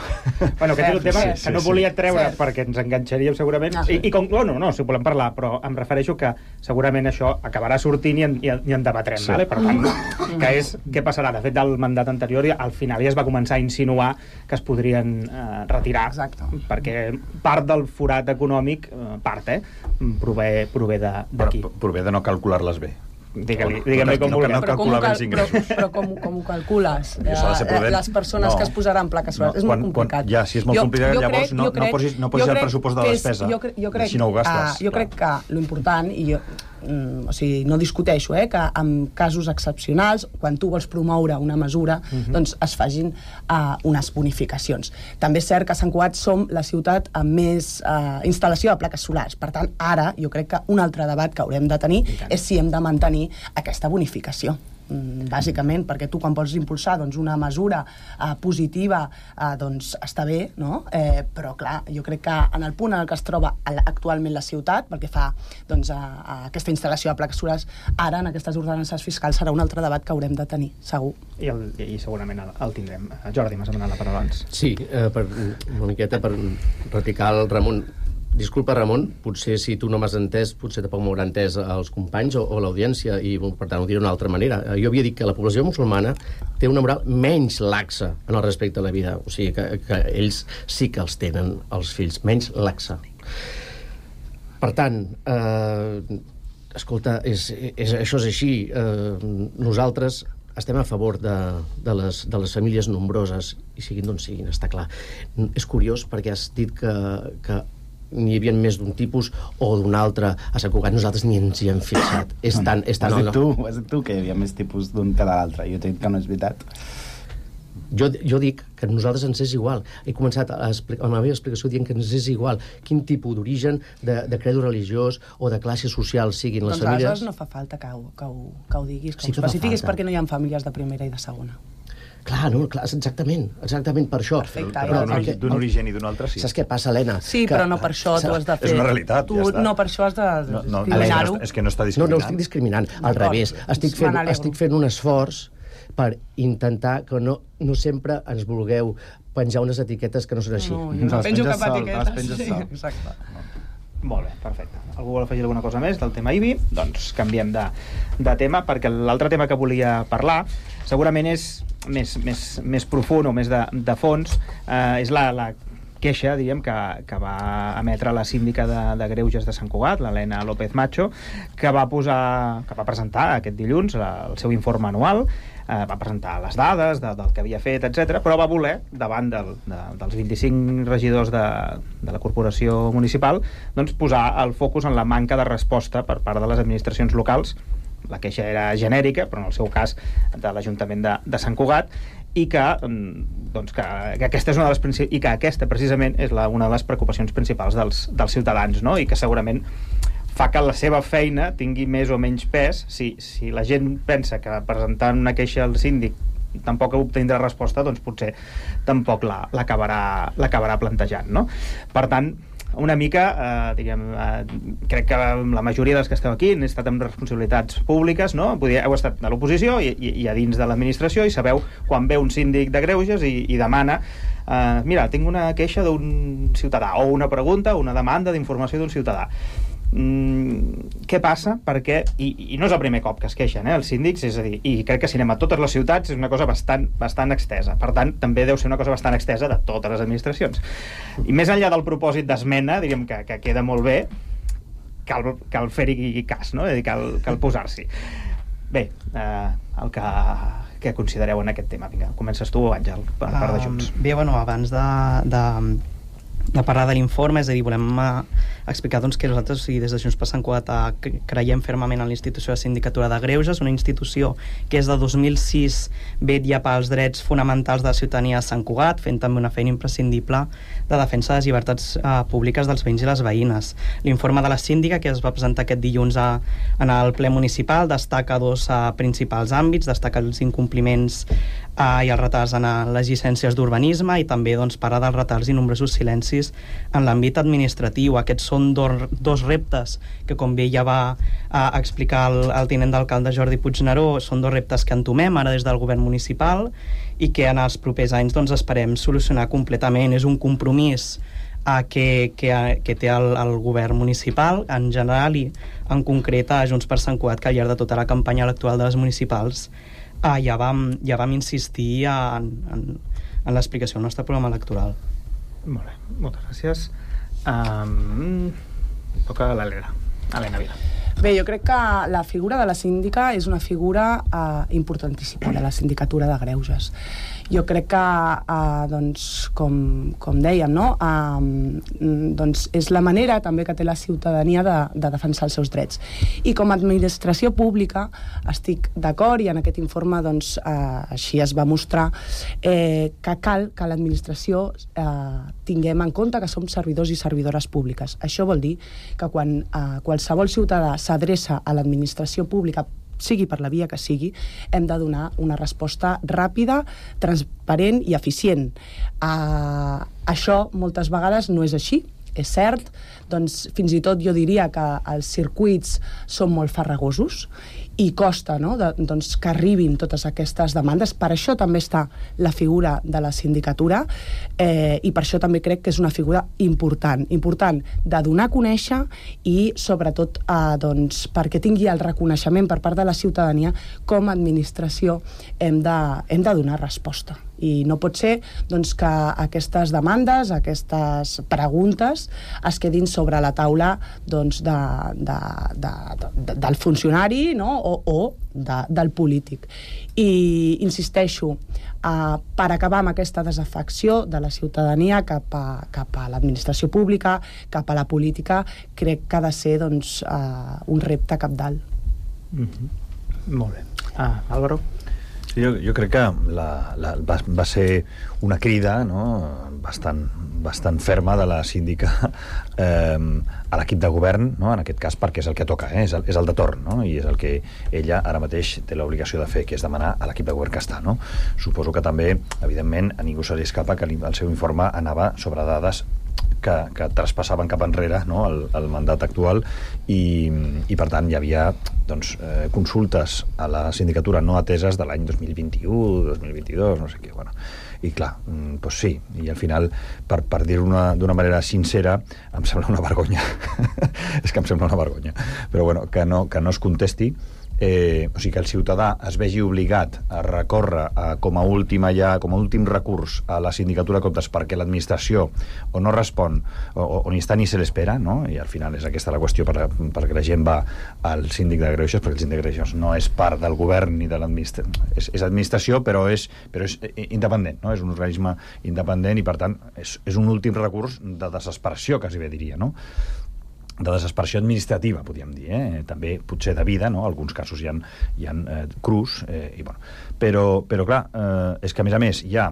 Bueno, aquest és un tema sí, que no sí, volia sí. treure Sí. perquè ens enganxaríem segurament. Ah, I, sí. i com, no, no, no, si ho volem parlar, però em refereixo que segurament això acabarà sortint i en, i en, i en debatrem, Sí. vale? Per tant, que és què passarà. De fet, del mandat anterior, al final ja es va començar a insinuar que es podrien eh, retirar. Exacte. Perquè part del forat econòmic, eh, part, eh, prové, prové d'aquí. Però prové de no calcular-les bé. Digue-li, digue-li com no, vulguem. no Però com, ho calcular cal, els però, ingressos. però com, com ho calcules? Perquè s'ha de ser prudent. Les persones No. que es posaran plaques solars. No, és quan- molt complicat. quan- ja, si és molt complicat, llavors no- no posis- no posis jo el crec pressupost de que és- despesa. Jo, cre- jo crec, Així no ho gastes, uh, jo clar. crec que lo important, i jo, mm, o sigui, no discuteixo, eh, que en casos excepcionals, quan tu vols promoure una mesura, Mhm. doncs es facin uh, unes bonificacions. També és cert que a Sant Cugat som la ciutat amb més uh, instal·lació de plaques solars. Per tant, ara jo crec que un altre debat que haurem de tenir és si hem de mantenir aquesta bonificació. Mm, bàsicament, perquè tu quan vols impulsar doncs, una mesura uh, positiva uh, doncs està bé, no? Eh, però clar, jo crec que en el punt en el que es troba actualment la ciutat, perquè fa doncs, a, a aquesta instal·lació de plaques solars, ara en aquestes ordenances fiscals serà un altre debat que haurem de tenir, segur. I, el, i segurament el, el tindrem. Jordi, m'has demanat la paraula abans. Sí, eh, per, una miqueta per raticar el Ramon. Disculpa, Ramon, potser si tu no m'has entès, potser tampoc m'haurà entès els companys o, o l'audiència, i per tant ho diré d'una altra manera. Jo havia dit que la població musulmana té una moral menys laxa en el respecte a la vida, o sigui que, que ells sí que els tenen, els fills, menys laxa. Per tant, eh, escolta, és, és, això és així. Eh, nosaltres estem a favor de, de, les, de les famílies nombroses, i siguin d'on siguin, està clar. És curiós perquè has dit que, que n'hi havia més d'un tipus o d'un altre a Sant Cugat, nosaltres ni ens hi hem fixat. És tan, és tan Ho has dit tu, ho has dit tu, que hi havia més tipus d'un que de l'altre. Jo t'he dit que no és veritat. Jo, jo dic que a nosaltres ens és igual. He començat a explicar, la meva explicació dient que ens és igual quin tipus d'origen, de, de credo religiós o de classe social siguin les Doncs famílies. aleshores no fa falta que ho, que ho, que ho diguis, que Sí ho que fa especifiquis, falta. perquè no hi ha famílies de primera i de segona. Clar, no, clar, exactament, exactament per això. Perfecte, Però d'un origen, d'un origen i d'un altre, sí. Saps què passa, Helena? Sí, però no per això tu has de fer... És una realitat, tu, ja està. No per això has de No, no, discriminar-ho. és que no està No, discriminant. no estic discriminant, al D'acord. revés. Estic fent, Me n'alegro. estic fent un esforç per intentar que no, no sempre ens vulgueu penjar unes etiquetes que no són així. No, jo no penjo cap etiqueta. Sí, exacte. Molt bé, perfecte. Algú vol afegir alguna cosa més del tema I B I? Doncs canviem de, de tema, perquè l'altre tema que volia parlar segurament és més, més, més profund o més de, de fons, eh, és la, la queixa, diríem, que, que va emetre la síndica de, de Greuges de Sant Cugat, l'Helena López Macho, que va posar, que va presentar aquest dilluns la, el seu informe anual, eh, va presentar les dades de, del que havia fet, etcètera, però va voler, davant del, de, dels vint-i-cinc regidors de, de la corporació municipal, doncs posar el focus en la manca de resposta per part de les administracions locals. La queixa era genèrica, però en el seu cas de l'Ajuntament de, de Sant Cugat, i que, doncs, que, que aquesta és una de les princip... i que aquesta precisament és la, una de les preocupacions principals dels, dels ciutadans, no? I que segurament fa que la seva feina tingui més o menys pes. Si, si la gent pensa que presentant una queixa al síndic tampoc obtindrà resposta, doncs potser tampoc l'acabarà la, l'acabarà plantejant, no? Per tant, una mica, eh, diríem, eh, crec que la majoria dels que esteu aquí han estat amb responsabilitats públiques, no? Podia, heu estat a l'oposició i, i, i a dins de l'administració, i sabeu quan ve un síndic de Greuges i, i demana eh, mira, tinc una queixa d'un ciutadà, o una pregunta, una demanda d'informació d'un ciutadà. Mm, què passa? Perquè, i, i no és el primer cop que es queixen, eh, els síndics, és a dir, i crec que si anem a totes les ciutats és una cosa bastant, bastant extesa, per tant també deu ser una cosa bastant extesa de totes les administracions, i més enllà del propòsit d'esmena, diríem que, que queda molt bé, cal, cal fer-hi cas, no? És a dir, cal, cal posar-s'hi. Bé, eh, el que, que considereu en aquest tema. Vinga, comences tu, Àngel, per part de Junts. Um, bé, bueno, abans de, de de parlar de l'informe, és a dir, volem uh, explicar doncs, que nosaltres, o sigui, des de Junts per Sant Cugat, uh, creiem fermament en la institució de Sindicatura de Greuges, una institució que és de dos mil sis vetlla pels drets fonamentals de la ciutadania de Sant Cugat, fent també una feina imprescindible de defensa de les llibertats uh, públiques dels veïns i les veïnes. L'informe de la síndica, que es va presentar aquest dilluns a, en el ple municipal, destaca dos uh, principals àmbits, destaca els incompliments uh, i els retards en uh, les llicències d'urbanisme, i també doncs, parla dels retards i nombrosos silencis en l'àmbit administratiu. Aquests són dos, dos reptes que, com bé ja va uh, explicar el, el tinent d'alcalde Jordi Puigneró, són dos reptes que entomem ara des del govern municipal i que en els propers anys doncs, esperem solucionar completament. És un compromís uh, que, que, que té el, el govern municipal en general, i en concret a Junts per Sant Cugat, que al llarg de tota la campanya electoral de les municipals uh, ja, vam, ja vam insistir en, en, en l'explicació del nostre programa electoral. Molt bé, moltes gràcies. Um, toca l'Helena. Helena Vila. Bé, jo crec que la figura de la síndica és una figura uh, importantíssima de la sindicatura de Greuges. Jo crec que, uh, doncs, com, com dèiem, no? uh, doncs és la manera també que té la ciutadania de, de defensar els seus drets. I com a administració pública estic d'acord, i en aquest informe doncs, uh, així es va mostrar, eh, que cal que l'administració uh, tinguem en compte que som servidors i servidores públiques. Això vol dir que quan uh, qualsevol ciutadà s'adreça a l'administració pública, sigui per la via que sigui, hem de donar una resposta ràpida, transparent i eficient. Uh, això moltes vegades no és així, és cert, doncs fins i tot jo diria que els circuits són molt farragosos i costa, no?, de, doncs, que arribin totes aquestes demandes. Per això també està la figura de la sindicatura, eh, i per això també crec que és una figura important, important de donar a conèixer, i sobretot eh, doncs, perquè tingui el reconeixement per part de la ciutadania. Com a administració hem de, hem de donar resposta. I no pot ser doncs, que aquestes demandes, aquestes preguntes es quedin sobre la taula doncs, de, de, de, de, del funcionari, no?, o, o de, del polític. I insisteixo, uh, per acabar amb aquesta desafecció de la ciutadania cap a, cap a l'administració pública, cap a la política, crec que ha de ser doncs, uh, un repte cabdal. Mm-hmm. Molt bé. Ah, Álvaro? Jo, jo crec que la, la, va, va ser una crida, no?, bastant, bastant ferma de la síndica eh, a l'equip de govern, no?, en aquest cas, perquè és el que toca, eh? és, el, és el de torn, no?, i és el que ella ara mateix té l'obligació de fer, que és demanar a l'equip de govern que està. No? Suposo que també, evidentment, a ningú se li escapa que el seu informe anava sobre dades que, que traspassaven cap enrere, no?, el, el mandat actual, i, i per tant hi havia doncs, eh, consultes a la sindicatura no ateses de l'any dos mil vint-i-u, dos mil vint-i-dos, no sé què, bueno. I clar, doncs sí, i al final, per, per dir-ho d'una manera sincera, em sembla una vergonya. És que em sembla una vergonya. Però bueno, que no, que no es contesti, eh, o sigui, que el ciutadà es vegi obligat a recórrer a, com a última ja, com a últim recurs a la sindicatura de comptes perquè l'administració o no respon o, o ni està ni se l'espera, no? I al final és aquesta la qüestió per, perquè la gent va al síndic de greuges, perquè el síndic de greuges no és part del govern ni de l'administració, és, és administració però és, però és independent, no? És un organisme independent i per tant és, és un últim recurs de desesperació, quasi bé diria, no? De desesperació administrativa, podríem dir, eh? També potser de vida, no? Alguns casos hi ha, hi ha eh, crus, eh, i bueno. però, però clar, eh, és que a més a més hi ha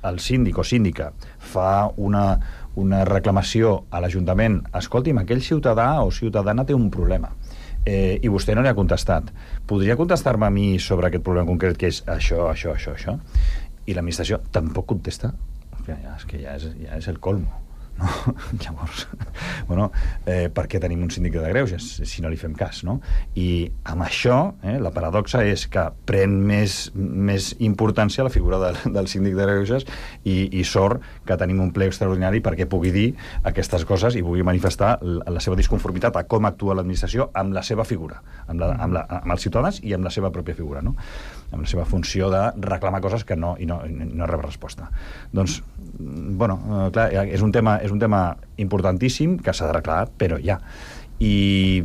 el síndic o síndica fa una, una reclamació a l'Ajuntament, escolti'm, aquell ciutadà o ciutadana té un problema, eh, i vostè no li ha contestat. Podria contestar-me a mi sobre aquest problema concret, que és això, això, això, això? I l'administració tampoc contesta? Ja, és que ja és, ja és el colmo. No? Llavors, bueno, eh, per què tenim un síndic de greuges si no li fem cas, no? I amb això, eh, la paradoxa és que pren més, més importància la figura del, del síndic de greuges i, i sort que tenim un ple extraordinari perquè pugui dir aquestes coses i pugui manifestar la, la seva disconformitat a com actua l'administració amb la seva figura, amb, la, amb, la, amb els ciutadans i amb la seva pròpia figura, no? Amb la seva funció de reclamar coses que no, i no, i no rep resposta. Doncs, bueno, eh, clar, és un tema és un tema importantíssim que s'ha d'arreglar, però ja. I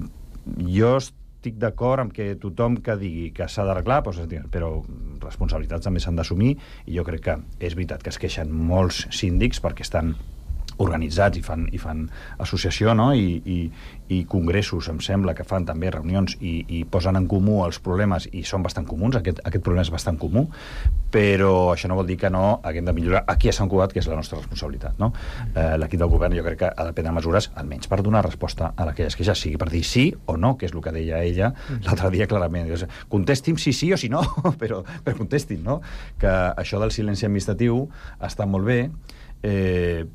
jo estic d'acord amb que tothom que digui que s'ha d'arreglar, doncs, però responsabilitats també s'han d'assumir, i jo crec que és veritat que es queixen molts síndics perquè estan organitzats i fan, i fan associació, no? I, i, i congressos, em sembla, que fan també reunions i, i posen en comú els problemes, i són bastant comuns, aquest, aquest problema és bastant comú, però això no vol dir que no haguem de millorar aquí a Sant Cugat, que és la nostra responsabilitat, no? Eh, l'equip del govern jo crec que ha de prendre mesures, almenys per donar resposta a aquelles queixes, sigui per dir sí o no, que és el que deia ella l'altre dia clarament. Contesti'm si sí o si no, però, però contestin, no? Que això del silenci administratiu està molt bé, eh,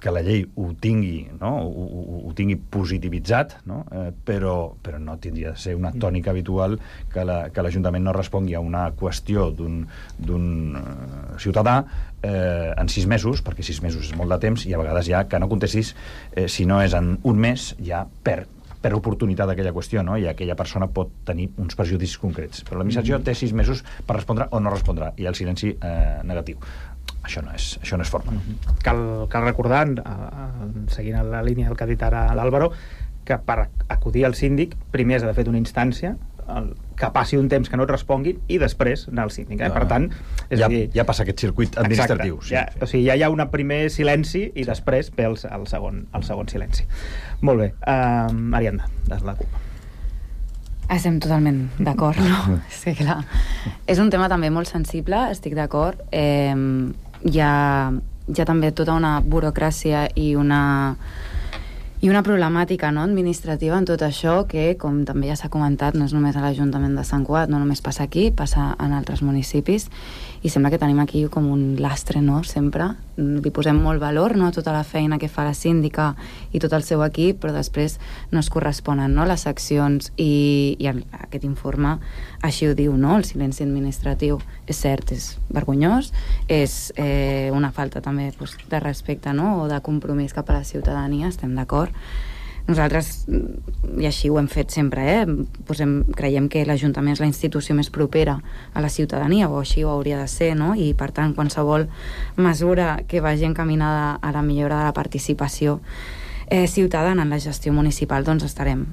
que la llei ho tingui, no? ho, ho, ho tingui positivitzat, no? Eh, però, però no tindria de ser una tònica habitual que l'Ajuntament la, no respongui a una qüestió d'un uh, ciutadà eh, en sis mesos, perquè sis mesos és molt de temps, i a vegades ja que no contestis, eh, si no és en un mes, ja perd per oportunitat d'aquella qüestió, no? I aquella persona pot tenir uns perjudicis concrets. Però l'administració té sis mesos per respondre o no respondrà, i el silenci eh, negatiu. Això no és, això no és forma. Cal, cal recordar, uh, seguint la línia del que ha dit ara l'Àlvaro, que per acudir al síndic primer has de fer una instància, el, que passi un temps que no et responguin i després anar al síndic. Eh? Per tant, és ja, a dir, ja passa aquest circuit administratiu. Exacte, sí, ja, sí. O sigui, ja hi ha un primer silenci i després ve el, el, segon, el segon silenci. Molt bé. Uh, Ariadna, de la CUP. Estem totalment d'acord, no? Sí, clar. És un tema també molt sensible, estic d'acord. Eh, hi ha, hi ha també tota una burocràcia i una i una problemàtica, no, administrativa en tot això que, com també ja s'ha comentat, no és només a l'Ajuntament de Sant Cugat, no només passa aquí, passa en altres municipis, i sembla que tenim aquí com un lastre, no?, sempre. Li posem molt valor, no?, a tota la feina que fa la síndica i tot el seu equip, però després no es corresponen, no?, les accions, i, i el, aquest informe així ho diu, no?, el silenci administratiu. És cert, és vergonyós, és eh, una falta també pues, de respecte, no?, o de compromís cap a la ciutadania, estem d'acord. Nosaltres, i així ho hem fet sempre, eh? Posem, creiem que l'Ajuntament és la institució més propera a la ciutadania, o així ho hauria de ser, no? I per tant, qualsevol mesura que vagi encaminada a la millora de la participació eh, ciutadana en la gestió municipal, doncs estarem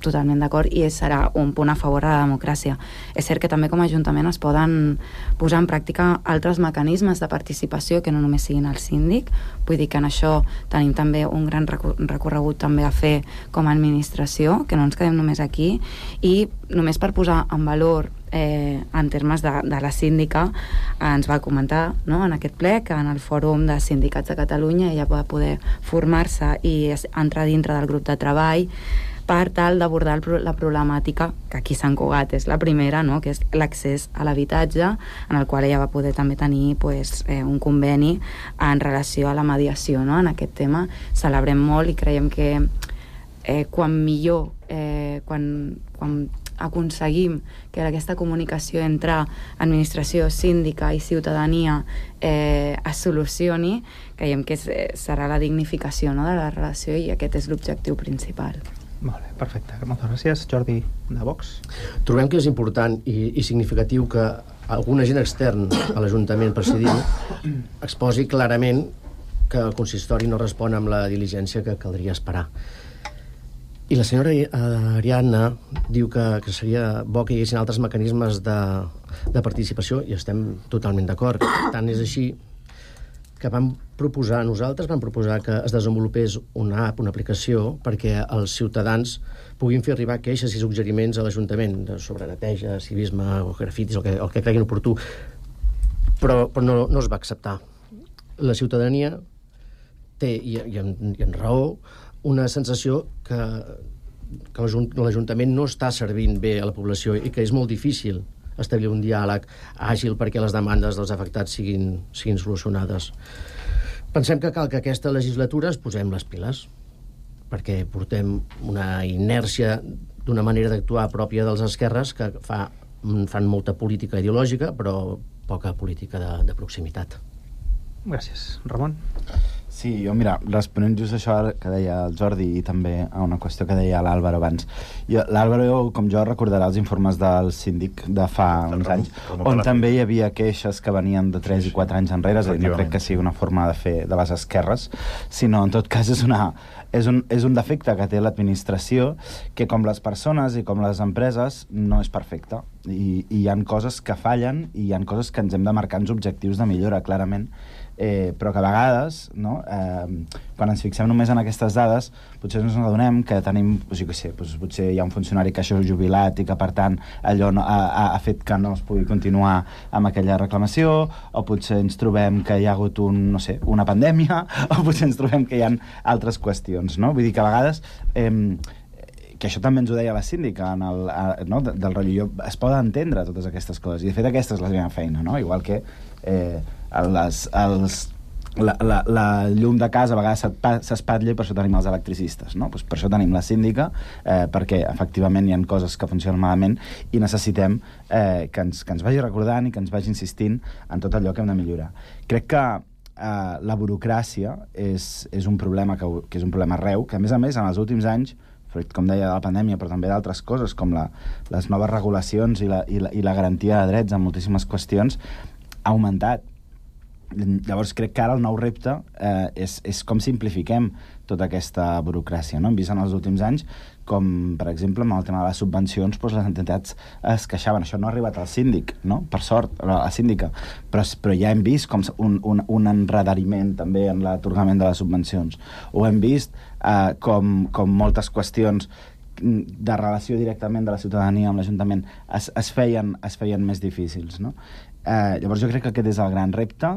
totalment d'acord, i serà un punt a favor de la democràcia. És cert que també com a Ajuntament es poden posar en pràctica altres mecanismes de participació que no només siguin el síndic. Vull dir que en això tenim també un gran recorregut també a fer com a administració, que no ens quedem només aquí, i només per posar en valor eh, en termes de, de la síndica, eh, ens va comentar, no?, en aquest ple que en el Fòrum de Sindicats de Catalunya ella va poder formar-se i entrar dintre del grup de treball per tal d'abordar la problemàtica que aquí a Sant Cugat és la primera, no? Que és l'accés a l'habitatge, en el qual ella va poder també tenir pues, eh, un conveni en relació a la mediació, no? En aquest tema celebrem molt i creiem que eh, quan millor, eh, quan, quan aconseguim que aquesta comunicació entre administració, síndica i ciutadania eh, es solucioni, creiem que és, serà la dignificació, no?, de la relació, i aquest és l'objectiu principal. Molt bé, perfecte. Moltes gràcies. Jordi, de Vox. Trobem que és important i, i significatiu que algun agent extern a l'Ajuntament presidint exposi clarament que el consistori no respon amb la diligència que caldria esperar. I la senyora Ariadna diu que, que seria bo que hi haguessin altres mecanismes de, de participació, i estem totalment d'acord. Tant és així que vam proposar, nosaltres vam proposar que es desenvolupés una app, una aplicació, perquè els ciutadans puguin fer arribar queixes i suggeriments a l'Ajuntament sobre neteja, civisme o grafitis, el que, el que creguin oportú. Però, però no, no es va acceptar. La ciutadania té, i, i, en, i en raó, una sensació que, que l'Ajuntament no està servint bé a la població i que és molt difícil establir un diàleg àgil perquè les demandes dels afectats siguin, siguin solucionades. Pensem que cal que aquesta legislatura es posem les piles, perquè portem una inèrcia d'una manera d'actuar pròpia dels esquerres que fa, fan molta política ideològica, però poca política de, de proximitat. Gràcies. Ramon? Sí, jo, mira, responent just això que deia el Jordi i també a una qüestió que deia l'Àlvaro abans. L'Àlvaro, com jo, recordarà els informes del síndic de fa uns anys, on també hi havia queixes que venien de tres i quatre anys enrere, és a dir, no crec que sigui una forma de fer de les esquerres, sinó, en tot cas, és una... És un, és un defecte que té l'administració que, com les persones i com les empreses, no és perfecte. I, i hi ha coses que fallen i hi ha coses que ens hem de marcar uns objectius de millora, clarament, eh, però que a vegades, no, eh, quan ens fixem només en aquestes dades, potser ens adonem que tenim, doncs, jo què sé, doncs, potser hi ha un funcionari que això és jubilat i que, per tant, allò no, ha, ha fet que no es pugui continuar amb aquella reclamació, o potser ens trobem que hi ha hagut un, no sé, una pandèmia, o potser ens trobem que hi ha altres qüestions, no? Vull dir que a vegades... Eh, que això també ens ho deia la síndica en el, a, no, del rotllo, es poden entendre totes aquestes coses, i de fet aquesta és la meva feina, no? Igual que eh, les, els, la, la, la llum de casa a vegades s'espatlla i per això tenim els electricistes, no? Pues per això tenim la síndica, eh, perquè efectivament hi ha coses que funcionen malament i necessitem eh, que, ens, que ens vagi recordant i que ens vagi insistint en tot allò que hem de millorar. Crec que eh, la burocràcia és, és un problema que, que és un problema arreu, que a més a més en els últims anys, com deia, de la pandèmia, però també d'altres coses, com la, les noves regulacions i la, i, la, i la garantia de drets en moltíssimes qüestions, ha augmentat. Llavors crec que ara el nou repte eh, és, és com simplifiquem tota aquesta burocràcia, no? Hem vist en els últims anys com, per exemple, amb el tema de les subvencions, doncs les entitats es queixaven. Això no ha arribat al síndic, no? Per sort, a la síndica. Però, però ja hem vist com un, un, un enredariment també en l'atorgament de les subvencions. O hem vist eh, com, com moltes qüestions de relació directament de la ciutadania amb l'Ajuntament es, es, feien, es feien més difícils, no? Eh, llavors jo crec que aquest és el gran repte.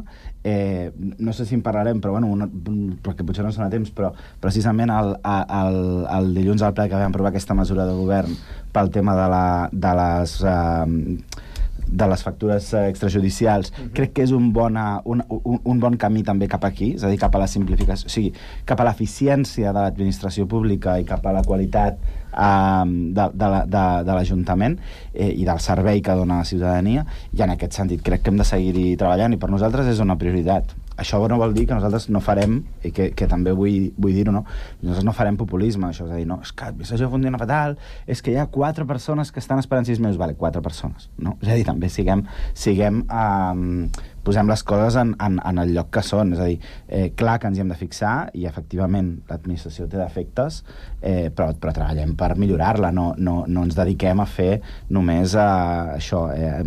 Eh, no sé si en parlarem, però bueno, una, perquè potser no són a temps, però precisament el, el, el dilluns al ple que vam aprovar aquesta mesura de govern pel tema de, la, de les... Eh, de les factures extrajudicials, uh-huh. Crec que és un, bona, un, un, un bon camí també cap aquí, és a dir, cap a la simplificació, o sigui, cap a l'eficiència de l'administració pública i cap a la qualitat eh, de, de, de, de l'Ajuntament eh, i del servei que dona a la ciutadania, i en aquest sentit crec que hem de seguir-hi treballant, i per nosaltres és una prioritat. Això no vol dir que nosaltres no farem, i que, que també vull, vull dir-ho, no? Nosaltres no farem populisme, això, és a dir, no, és que això funciona fatal, és que hi ha quatre persones que estan esperant sis mesos, vale, quatre persones, no? És a dir, també siguem, siguem eh, posem les coses en, en, en el lloc que són, és a dir, eh, clar que ens hi hem de fixar, i efectivament l'administració té defectes, eh, però, però treballem per millorar-la, no, no, no ens dediquem a fer només a això, eh,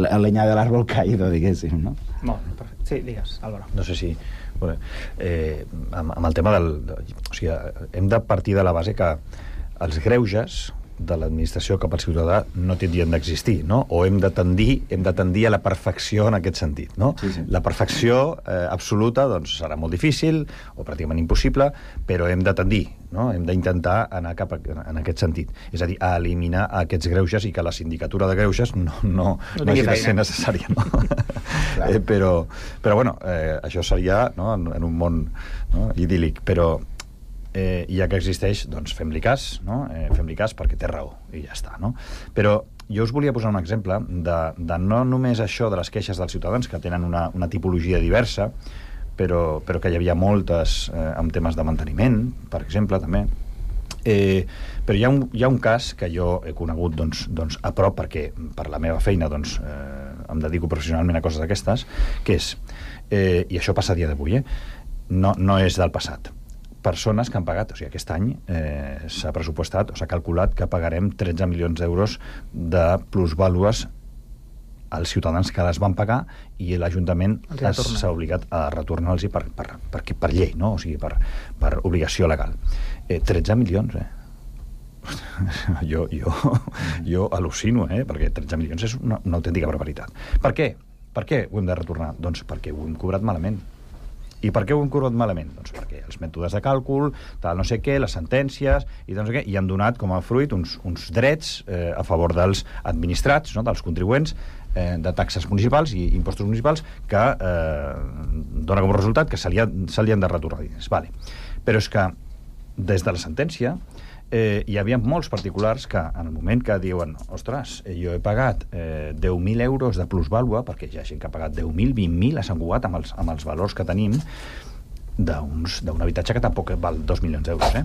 la llenya de l'àrbol caído, diguéssim, no? Molt, perfecte. Sí, digues, Álvaro. No sé si... Bueno, eh, amb, amb el tema del... O sigui, hem de partir de la base que els greuges de l'administració cap al ciutadà no tindrien d'existir, no? O hem de tendir, hem de tendir a la perfecció en aquest sentit, no? Sí, sí. La perfecció eh, absoluta doncs, serà molt difícil o pràcticament impossible, però hem de tendir, no? Hem d'intentar anar cap a, en aquest sentit. És a dir, a eliminar aquests greuges i que la sindicatura de greuges no, no, no, no hagi de ser necessària, no? eh, però, però, bueno, eh, això seria, no? en, en un món, no? idíl·lic, però Eh, ja que existeix, doncs fem-li cas, no? Eh, fem-li cas perquè té raó, i ja està, no? Però jo us volia posar un exemple de, de no només això de les queixes dels ciutadans, que tenen una, una tipologia diversa, però, però que hi havia moltes eh, amb temes de manteniment, per exemple, també. Eh, però hi ha, un, hi ha un cas que jo he conegut doncs, doncs, a prop, perquè per la meva feina doncs, eh, em dedico professionalment a coses d'aquestes, que és, eh, i això passa a dia d'avui, eh? no, no és del passat, persones que han pagat, o sigui, aquest any eh, s'ha pressupostat o s'ha calculat que pagarem tretze milions d'euros de plusvàlues als ciutadans que les van pagar i l'Ajuntament s'ha obligat a retornar-los per, per, per, per llei, no? O sigui, per, per obligació legal. Eh, tretze milions, eh? jo, jo, jo al·lucino, eh? Perquè tretze milions és una, una autèntica barbaritat. Per què? Per què ho hem de retornar? Doncs perquè ho hem cobrat malament. I per què ho hem cobrat malament? Doncs perquè els mètodes de càlcul, tal no sé què, les sentències, i tal no sé què, i han donat com a fruit uns, uns drets eh, a favor dels administrats, no? dels contribuents, eh, de taxes municipals i impostos municipals, que eh, dona com a resultat que se li, ha, se li han de retornar diners. Vale. Però és que des de la sentència eh, hi havia molts particulars que en el moment que diuen ostres, jo he pagat eh, deu mil euros de plusvàlua, perquè hi ha gent que ha pagat deu mil, vint mil a Sant Cugat amb els, amb els valors que tenim d'un habitatge que tampoc val dos milions d'euros, eh?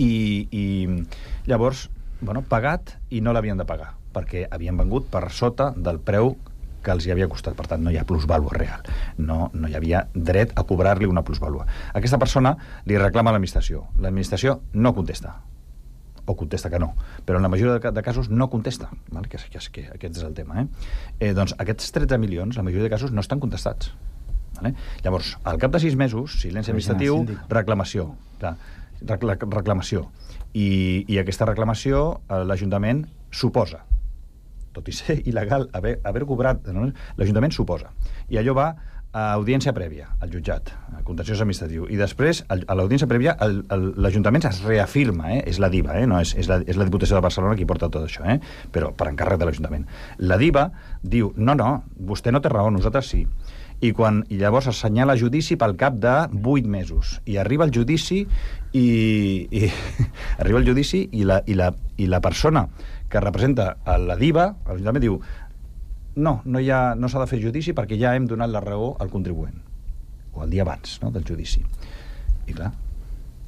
I, i llavors, bueno, pagat i no l'havien de pagar, perquè havien vengut per sota del preu que els hi havia costat. Per tant, no hi ha plusvàlua real. No, no hi havia dret a cobrar-li una plusvàlua. Aquesta persona li reclama a l'administració. L'administració no contesta. O contesta que no. Però en la majoria de, de casos no contesta. Val? Que, que, que aquest és el tema. Eh? Eh, doncs aquests tretze milions, la majoria de casos, no estan contestats. Vale? Llavors, al cap de sis mesos, silenci administratiu, reclamació. Clar, reclamació. I, i aquesta reclamació l'Ajuntament suposa. Tot i ser il·legal haver, haver cobrat, no? L'Ajuntament suposa. I allò va a audiència prèvia, al jutjat, al contenciós administratiu. I després, a l'audiència prèvia, l'Ajuntament es reafirma, eh? És la DIVA, eh? No, és, és, la, és la Diputació de Barcelona qui porta tot això, eh? Però per encàrrec de l'Ajuntament. La DIVA diu, no, no, vostè no té raó, nosaltres sí. I, quan, i llavors assenyala judici pel cap de vuit mesos. I arriba el judici i, i arriba el judici i la, i la, i la persona que representa a la DIVA, l'Ajuntament diu no, no, ha, no s'ha de fer judici perquè ja hem donat la raó al contribuent, o el dia abans, no?, del judici. I clar,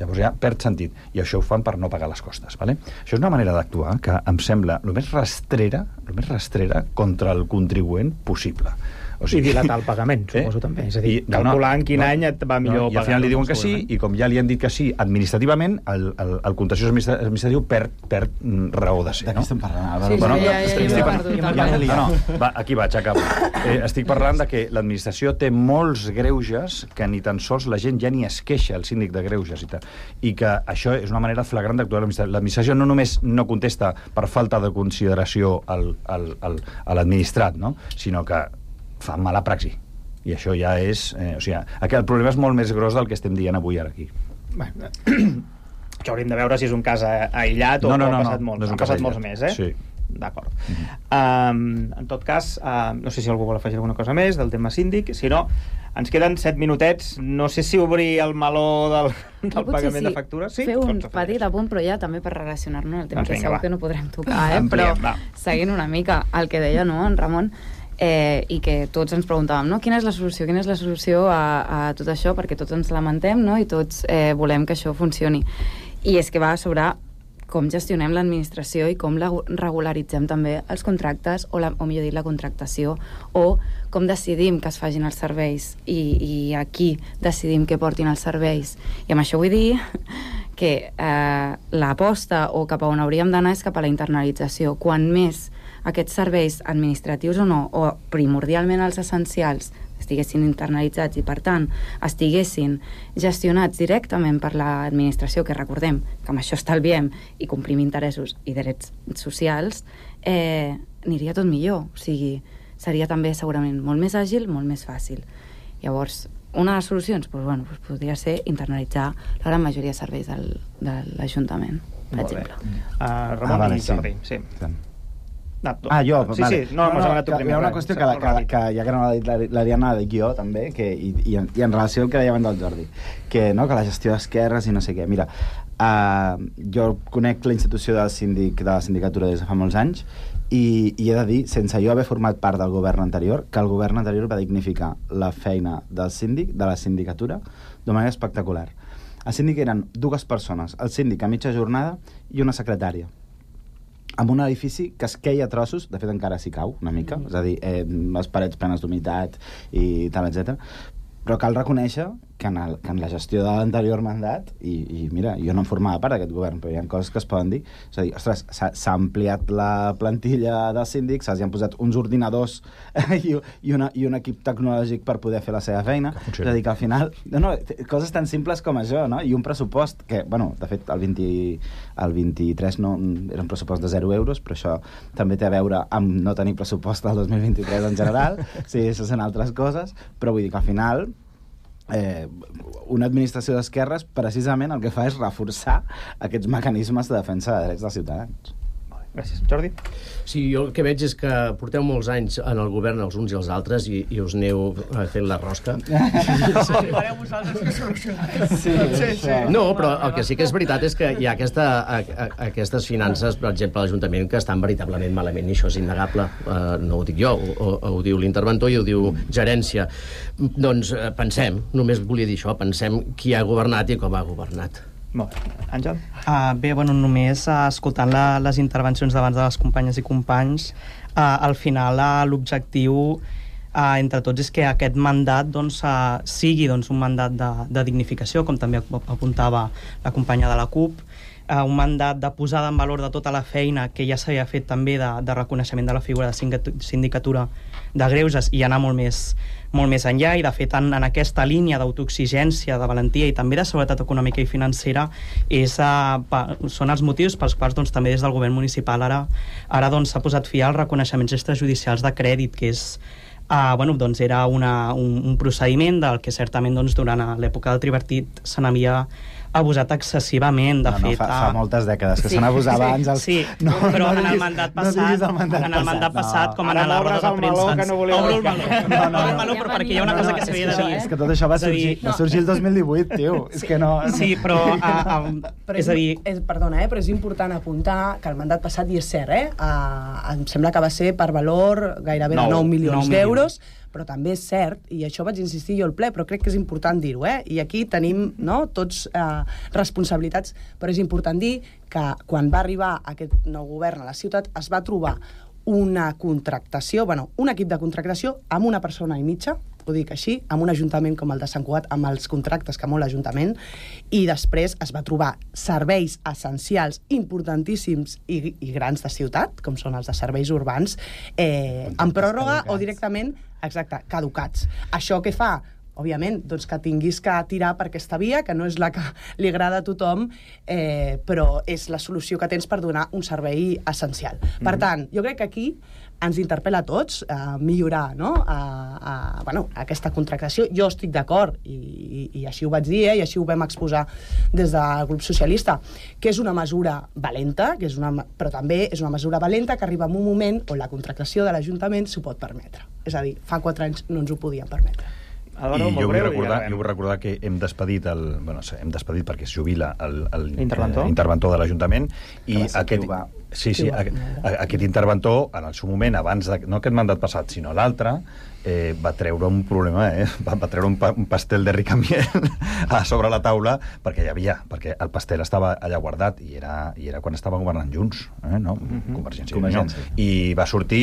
llavors ja perd sentit, i això ho fan per no pagar les costes, vale? Això és una manera d'actuar que em sembla el més rastrera, el més rastrera contra el contribuent possible. O sigui, i dilatar el pagament, suposo, eh? també. És a dir, I, calcular no, no, en quin no, any et va millor no, pagar. I al final li diuen que sí, i com ja li han dit que sí administrativament, el, el, el contenciós administratiu perd, perd raó de ser. De què estem parlant? Sí, bueno, sí, ja, ja, ja, ja, perdut, ja, ja, no, va, aquí vaig, acabo. Eh, estic parlant de que l'administració té molts greuges que ni tan sols la gent ja ni es queixa, el síndic de greuges i tal. I que això és una manera flagrant d'actuar l'administració. L'administració no només no contesta per falta de consideració al, al, al, a l'administrat, no?, sinó que fa mala praxi. I això ja és... Eh, o sigui, el problema és molt més gros del que estem dient avui ara aquí. Bueno, això hauríem de veure si és un cas aïllat o no, no, no, ha passat, no, molts, no ha passat molts més, eh? Sí. D'acord. Mm-hmm. Um, en tot cas, uh, no sé si algú vol afegir alguna cosa més del tema síndic. Si no, ens queden set minutets. No sé si obrir el meló del, del pagament sí. de factures. Sí, fer un petit apunt, però ja també per relacionar-nos al tema, doncs que segur va. que no podrem tocar, eh? Ampliem, però va. Seguint una mica el que deia, no, en Ramon, Eh, i que tots ens preguntàvem, no? Quina és la solució? Quina és la solució a, a tot això? Perquè tots ens lamentem, no? I tots eh, volem que això funcioni. I és que va sobre com gestionem l'administració i com la regularitzem també els contractes, o, la, o millor dit, la contractació, o com decidim que es facin els serveis i, i aquí decidim que portin els serveis. I amb això vull dir que eh, l'aposta o cap a on hauríem d'anar és cap a la internalització. Quan més aquests serveis administratius o no, o primordialment els essencials, estiguessin internalitzats i, per tant, estiguessin gestionats directament per l'administració, que recordem que amb això estalviem i complim interessos i drets socials, eh, aniria tot millor. O sigui, seria també segurament molt més àgil, molt més fàcil. Llavors, una de les solucions doncs, bueno, doncs podria ser internalitzar la gran majoria de serveis del, de l'Ajuntament, per Molt exemple. Uh, Ramon Ah, vale, i Jordi, sí. sí. No, Ah, jo, sí, vale. sí, no, no, no, que hi ha una qüestió que, la, que, que ja que no l'ha dit l'Ariana, la dic jo també, que, i, i, en, i en relació al que deia abans del Jordi, que, no, que la gestió d'esquerres i no sé què. Mira, uh, jo conec la institució del síndic de la sindicatura des de fa molts anys i, i he de dir, sense jo haver format part del govern anterior, que el govern anterior va dignificar la feina del síndic, de la sindicatura, de manera espectacular. El síndic eren dues persones, el síndic a mitja jornada i una secretària, amb un edifici que es queia a trossos, de fet encara s'hi cau una mica, és a dir, eh, les parets plenes d'humitat i tal, etcètera. Però cal reconèixer que en, el, que en la gestió de l'anterior mandat, i, i mira, jo no em formava part d'aquest govern, però hi ha coses que es poden dir, és a dir, ostres, s'ha ampliat la plantilla dels síndics, s'hi han posat uns ordinadors i, i, una, i un equip tecnològic per poder fer la seva feina, és a dir, que al final, no, no, coses tan simples com això, no? I un pressupost que, bueno, de fet, el, vint, el vint-i-tres no, era un pressupost de zero euros, però això també té a veure amb no tenir pressupost del dos mil vint-i-tres en general, sí, això són altres coses, però vull dir que al final Eh, una administració d'esquerres precisament el que fa és reforçar aquests mecanismes de defensa de drets dels ciutadans. Gràcies. Jordi? Sí, jo el que veig és que porteu molts anys en el govern els uns i els altres i, i us aneu fent la rosca. Arribareu vosaltres que solucionareu. Sí, sí, sí. No, però el que sí que és veritat és que hi ha aquesta, a, a, aquestes finances, per exemple, a l'Ajuntament, que estan veritablement malament, i això és innegable. Uh, no ho dic jo, ho, ho diu l'interventor i ho diu gerència. Doncs uh, pensem, només volia dir això, pensem qui ha governat i com ha governat. Molt bé. Àngel? Uh, bé, bueno, només uh, escoltant la, les intervencions d'abans de les companyes i companys, uh, al final uh, l'objectiu uh, entre tots és que aquest mandat doncs, uh, sigui doncs, un mandat de, de dignificació, com també apuntava la companya de la CUP, uh, un mandat de posada en valor de tota la feina que ja s'havia fet també de, de reconeixement de la figura de sindicatura de greuges i anar molt més, molt més enllà, i de fet en, en aquesta línia d'autoexigència, de valentia i també de seguretat econòmica i financera és, uh, pa, són els motius pels quals doncs, també des del govern municipal ara, ara doncs, s'ha posat fi als reconeixements extrajudicials de crèdit, que és Uh, bueno, doncs era una, un, un procediment del que certament doncs, durant l'època del tripartit se n'havia abusat excessivament, de no, no, fet... Fa, fa moltes dècades que sí. se n'abusava abans. Els... Sí, no, però no en diguis, el mandat passat, no el mandat en el mandat passat, no. com en l'obra de premsa... Que no volia Obro el meló, no, no, obro el meló, però perquè hi ha una cosa que s'havia de dir. És que tot això va sorgir, va sorgir el dos mil divuit, tio. És que no... Sí, però... A, a, però és a dir... És, perdona, eh, però és important apuntar que el mandat passat, i és cert, eh, uh, em sembla que va ser per valor gairebé de nou milions d'euros, però també és cert, i això vaig insistir jo al ple, però crec que és important dir-ho, eh? I aquí tenim no, tots eh, responsabilitats, però és important dir que quan va arribar aquest nou govern a la ciutat es va trobar una contractació, bueno, un equip de contractació amb una persona i mitja, ho dic així, amb un ajuntament com el de Sant Cugat, amb els contractes que molt l'Ajuntament, i després es va trobar serveis essencials importantíssims i, i grans de ciutat, com són els de serveis urbans, eh, en pròrroga o directament, exacte, caducats. Això què fa? Òbviament, doncs que tinguis que tirar per aquesta via, que no és la que li agrada a tothom, eh, però és la solució que tens per donar un servei essencial. Mm-hmm. Per tant, jo crec que aquí ens interpel·la a tots a millorar, no? a, a, bueno, aquesta contractació. Jo estic d'acord, i, i, i així ho vaig dir, eh, i així ho vam exposar des del grup socialista, que és una mesura valenta, que és una, però també és una mesura valenta que arriba en un moment on la contractació de l'Ajuntament s'ho pot permetre. És a dir, fa quatre anys no ens ho podíem permetre. I jo vull, recordar, jo vull recordar que hem despedit el, bueno, hem despedit perquè es jubila el, el interventor, eh, interventor de l'Ajuntament i aquest, va, sí, sí, a, a, aquest interventor en el seu moment, abans de, no aquest mandat passat sinó l'altre, eh, va treure un problema, eh? va, va treure un, pa, un pastel de ricamiel a sobre la taula perquè hi havia, perquè el pastel estava allà guardat i era, i era quan estaven governant junts, eh? no? Mm-hmm. Convergència, Convergència. I va sortir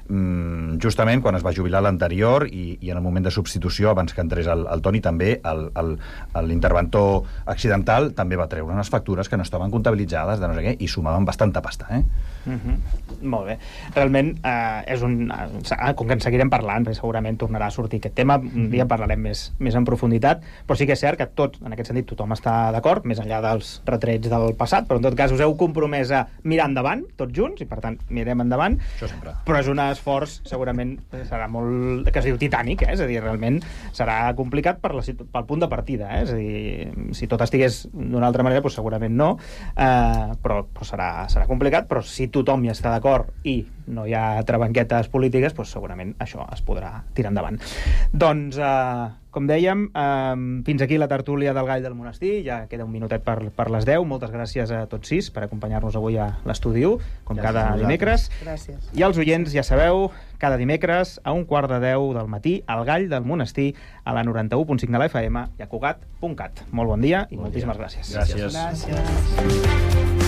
mm, justament quan es va jubilar l'anterior i, i en el moment de substitució, abans que entrés el, el Toni, també l'interventor accidental també va treure unes factures que no estaven comptabilitzades de no sé què i sumaven bastanta pasta, eh? Mm-hmm. Molt bé. Realment eh, és un... Eh, com que en seguirem parlant, perquè segurament tornarà a sortir aquest tema. Un dia parlarem més, més en profunditat, però sí que és cert que tot, en aquest sentit, tothom està d'acord, més enllà dels retrets del passat, però en tot cas us heu compromès a mirar endavant, tots junts, i per tant mirem endavant. Això sempre. Però és un esforç, segurament, serà molt, que es diu titànic, eh? És a dir, realment serà complicat per la, pel punt de partida, eh? És a dir, si tot estigués d'una altra manera, doncs segurament no, eh, però, però serà, serà complicat, però si tothom hi està d'acord i no hi ha trabanquetes polítiques, doncs segurament això es podrà tirar endavant. Doncs, eh, com dèiem, eh, fins aquí la tertúlia del Gall del Monestir, ja queda un minutet per, per les deu. Moltes gràcies a tots sis per acompanyar-nos avui a l'Estudi u, com gràcies cada dimecres. Gràcies. I als oients, ja sabeu, cada dimecres a un quart de deu del matí, al Gall del Monestir, a la noranta-u punt cinc de la F M i a Cugat punt cat. Molt bon dia i bon moltíssimes dia. gràcies. Gràcies. Gràcies.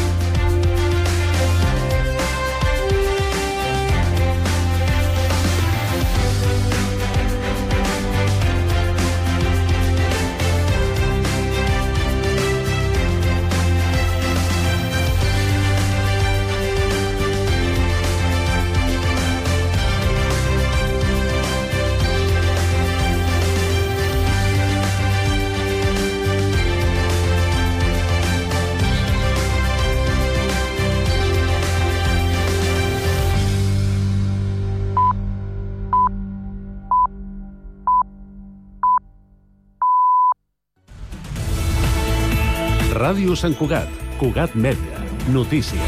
Ràdio Sant Cugat, Cugat Mèdia, notícies.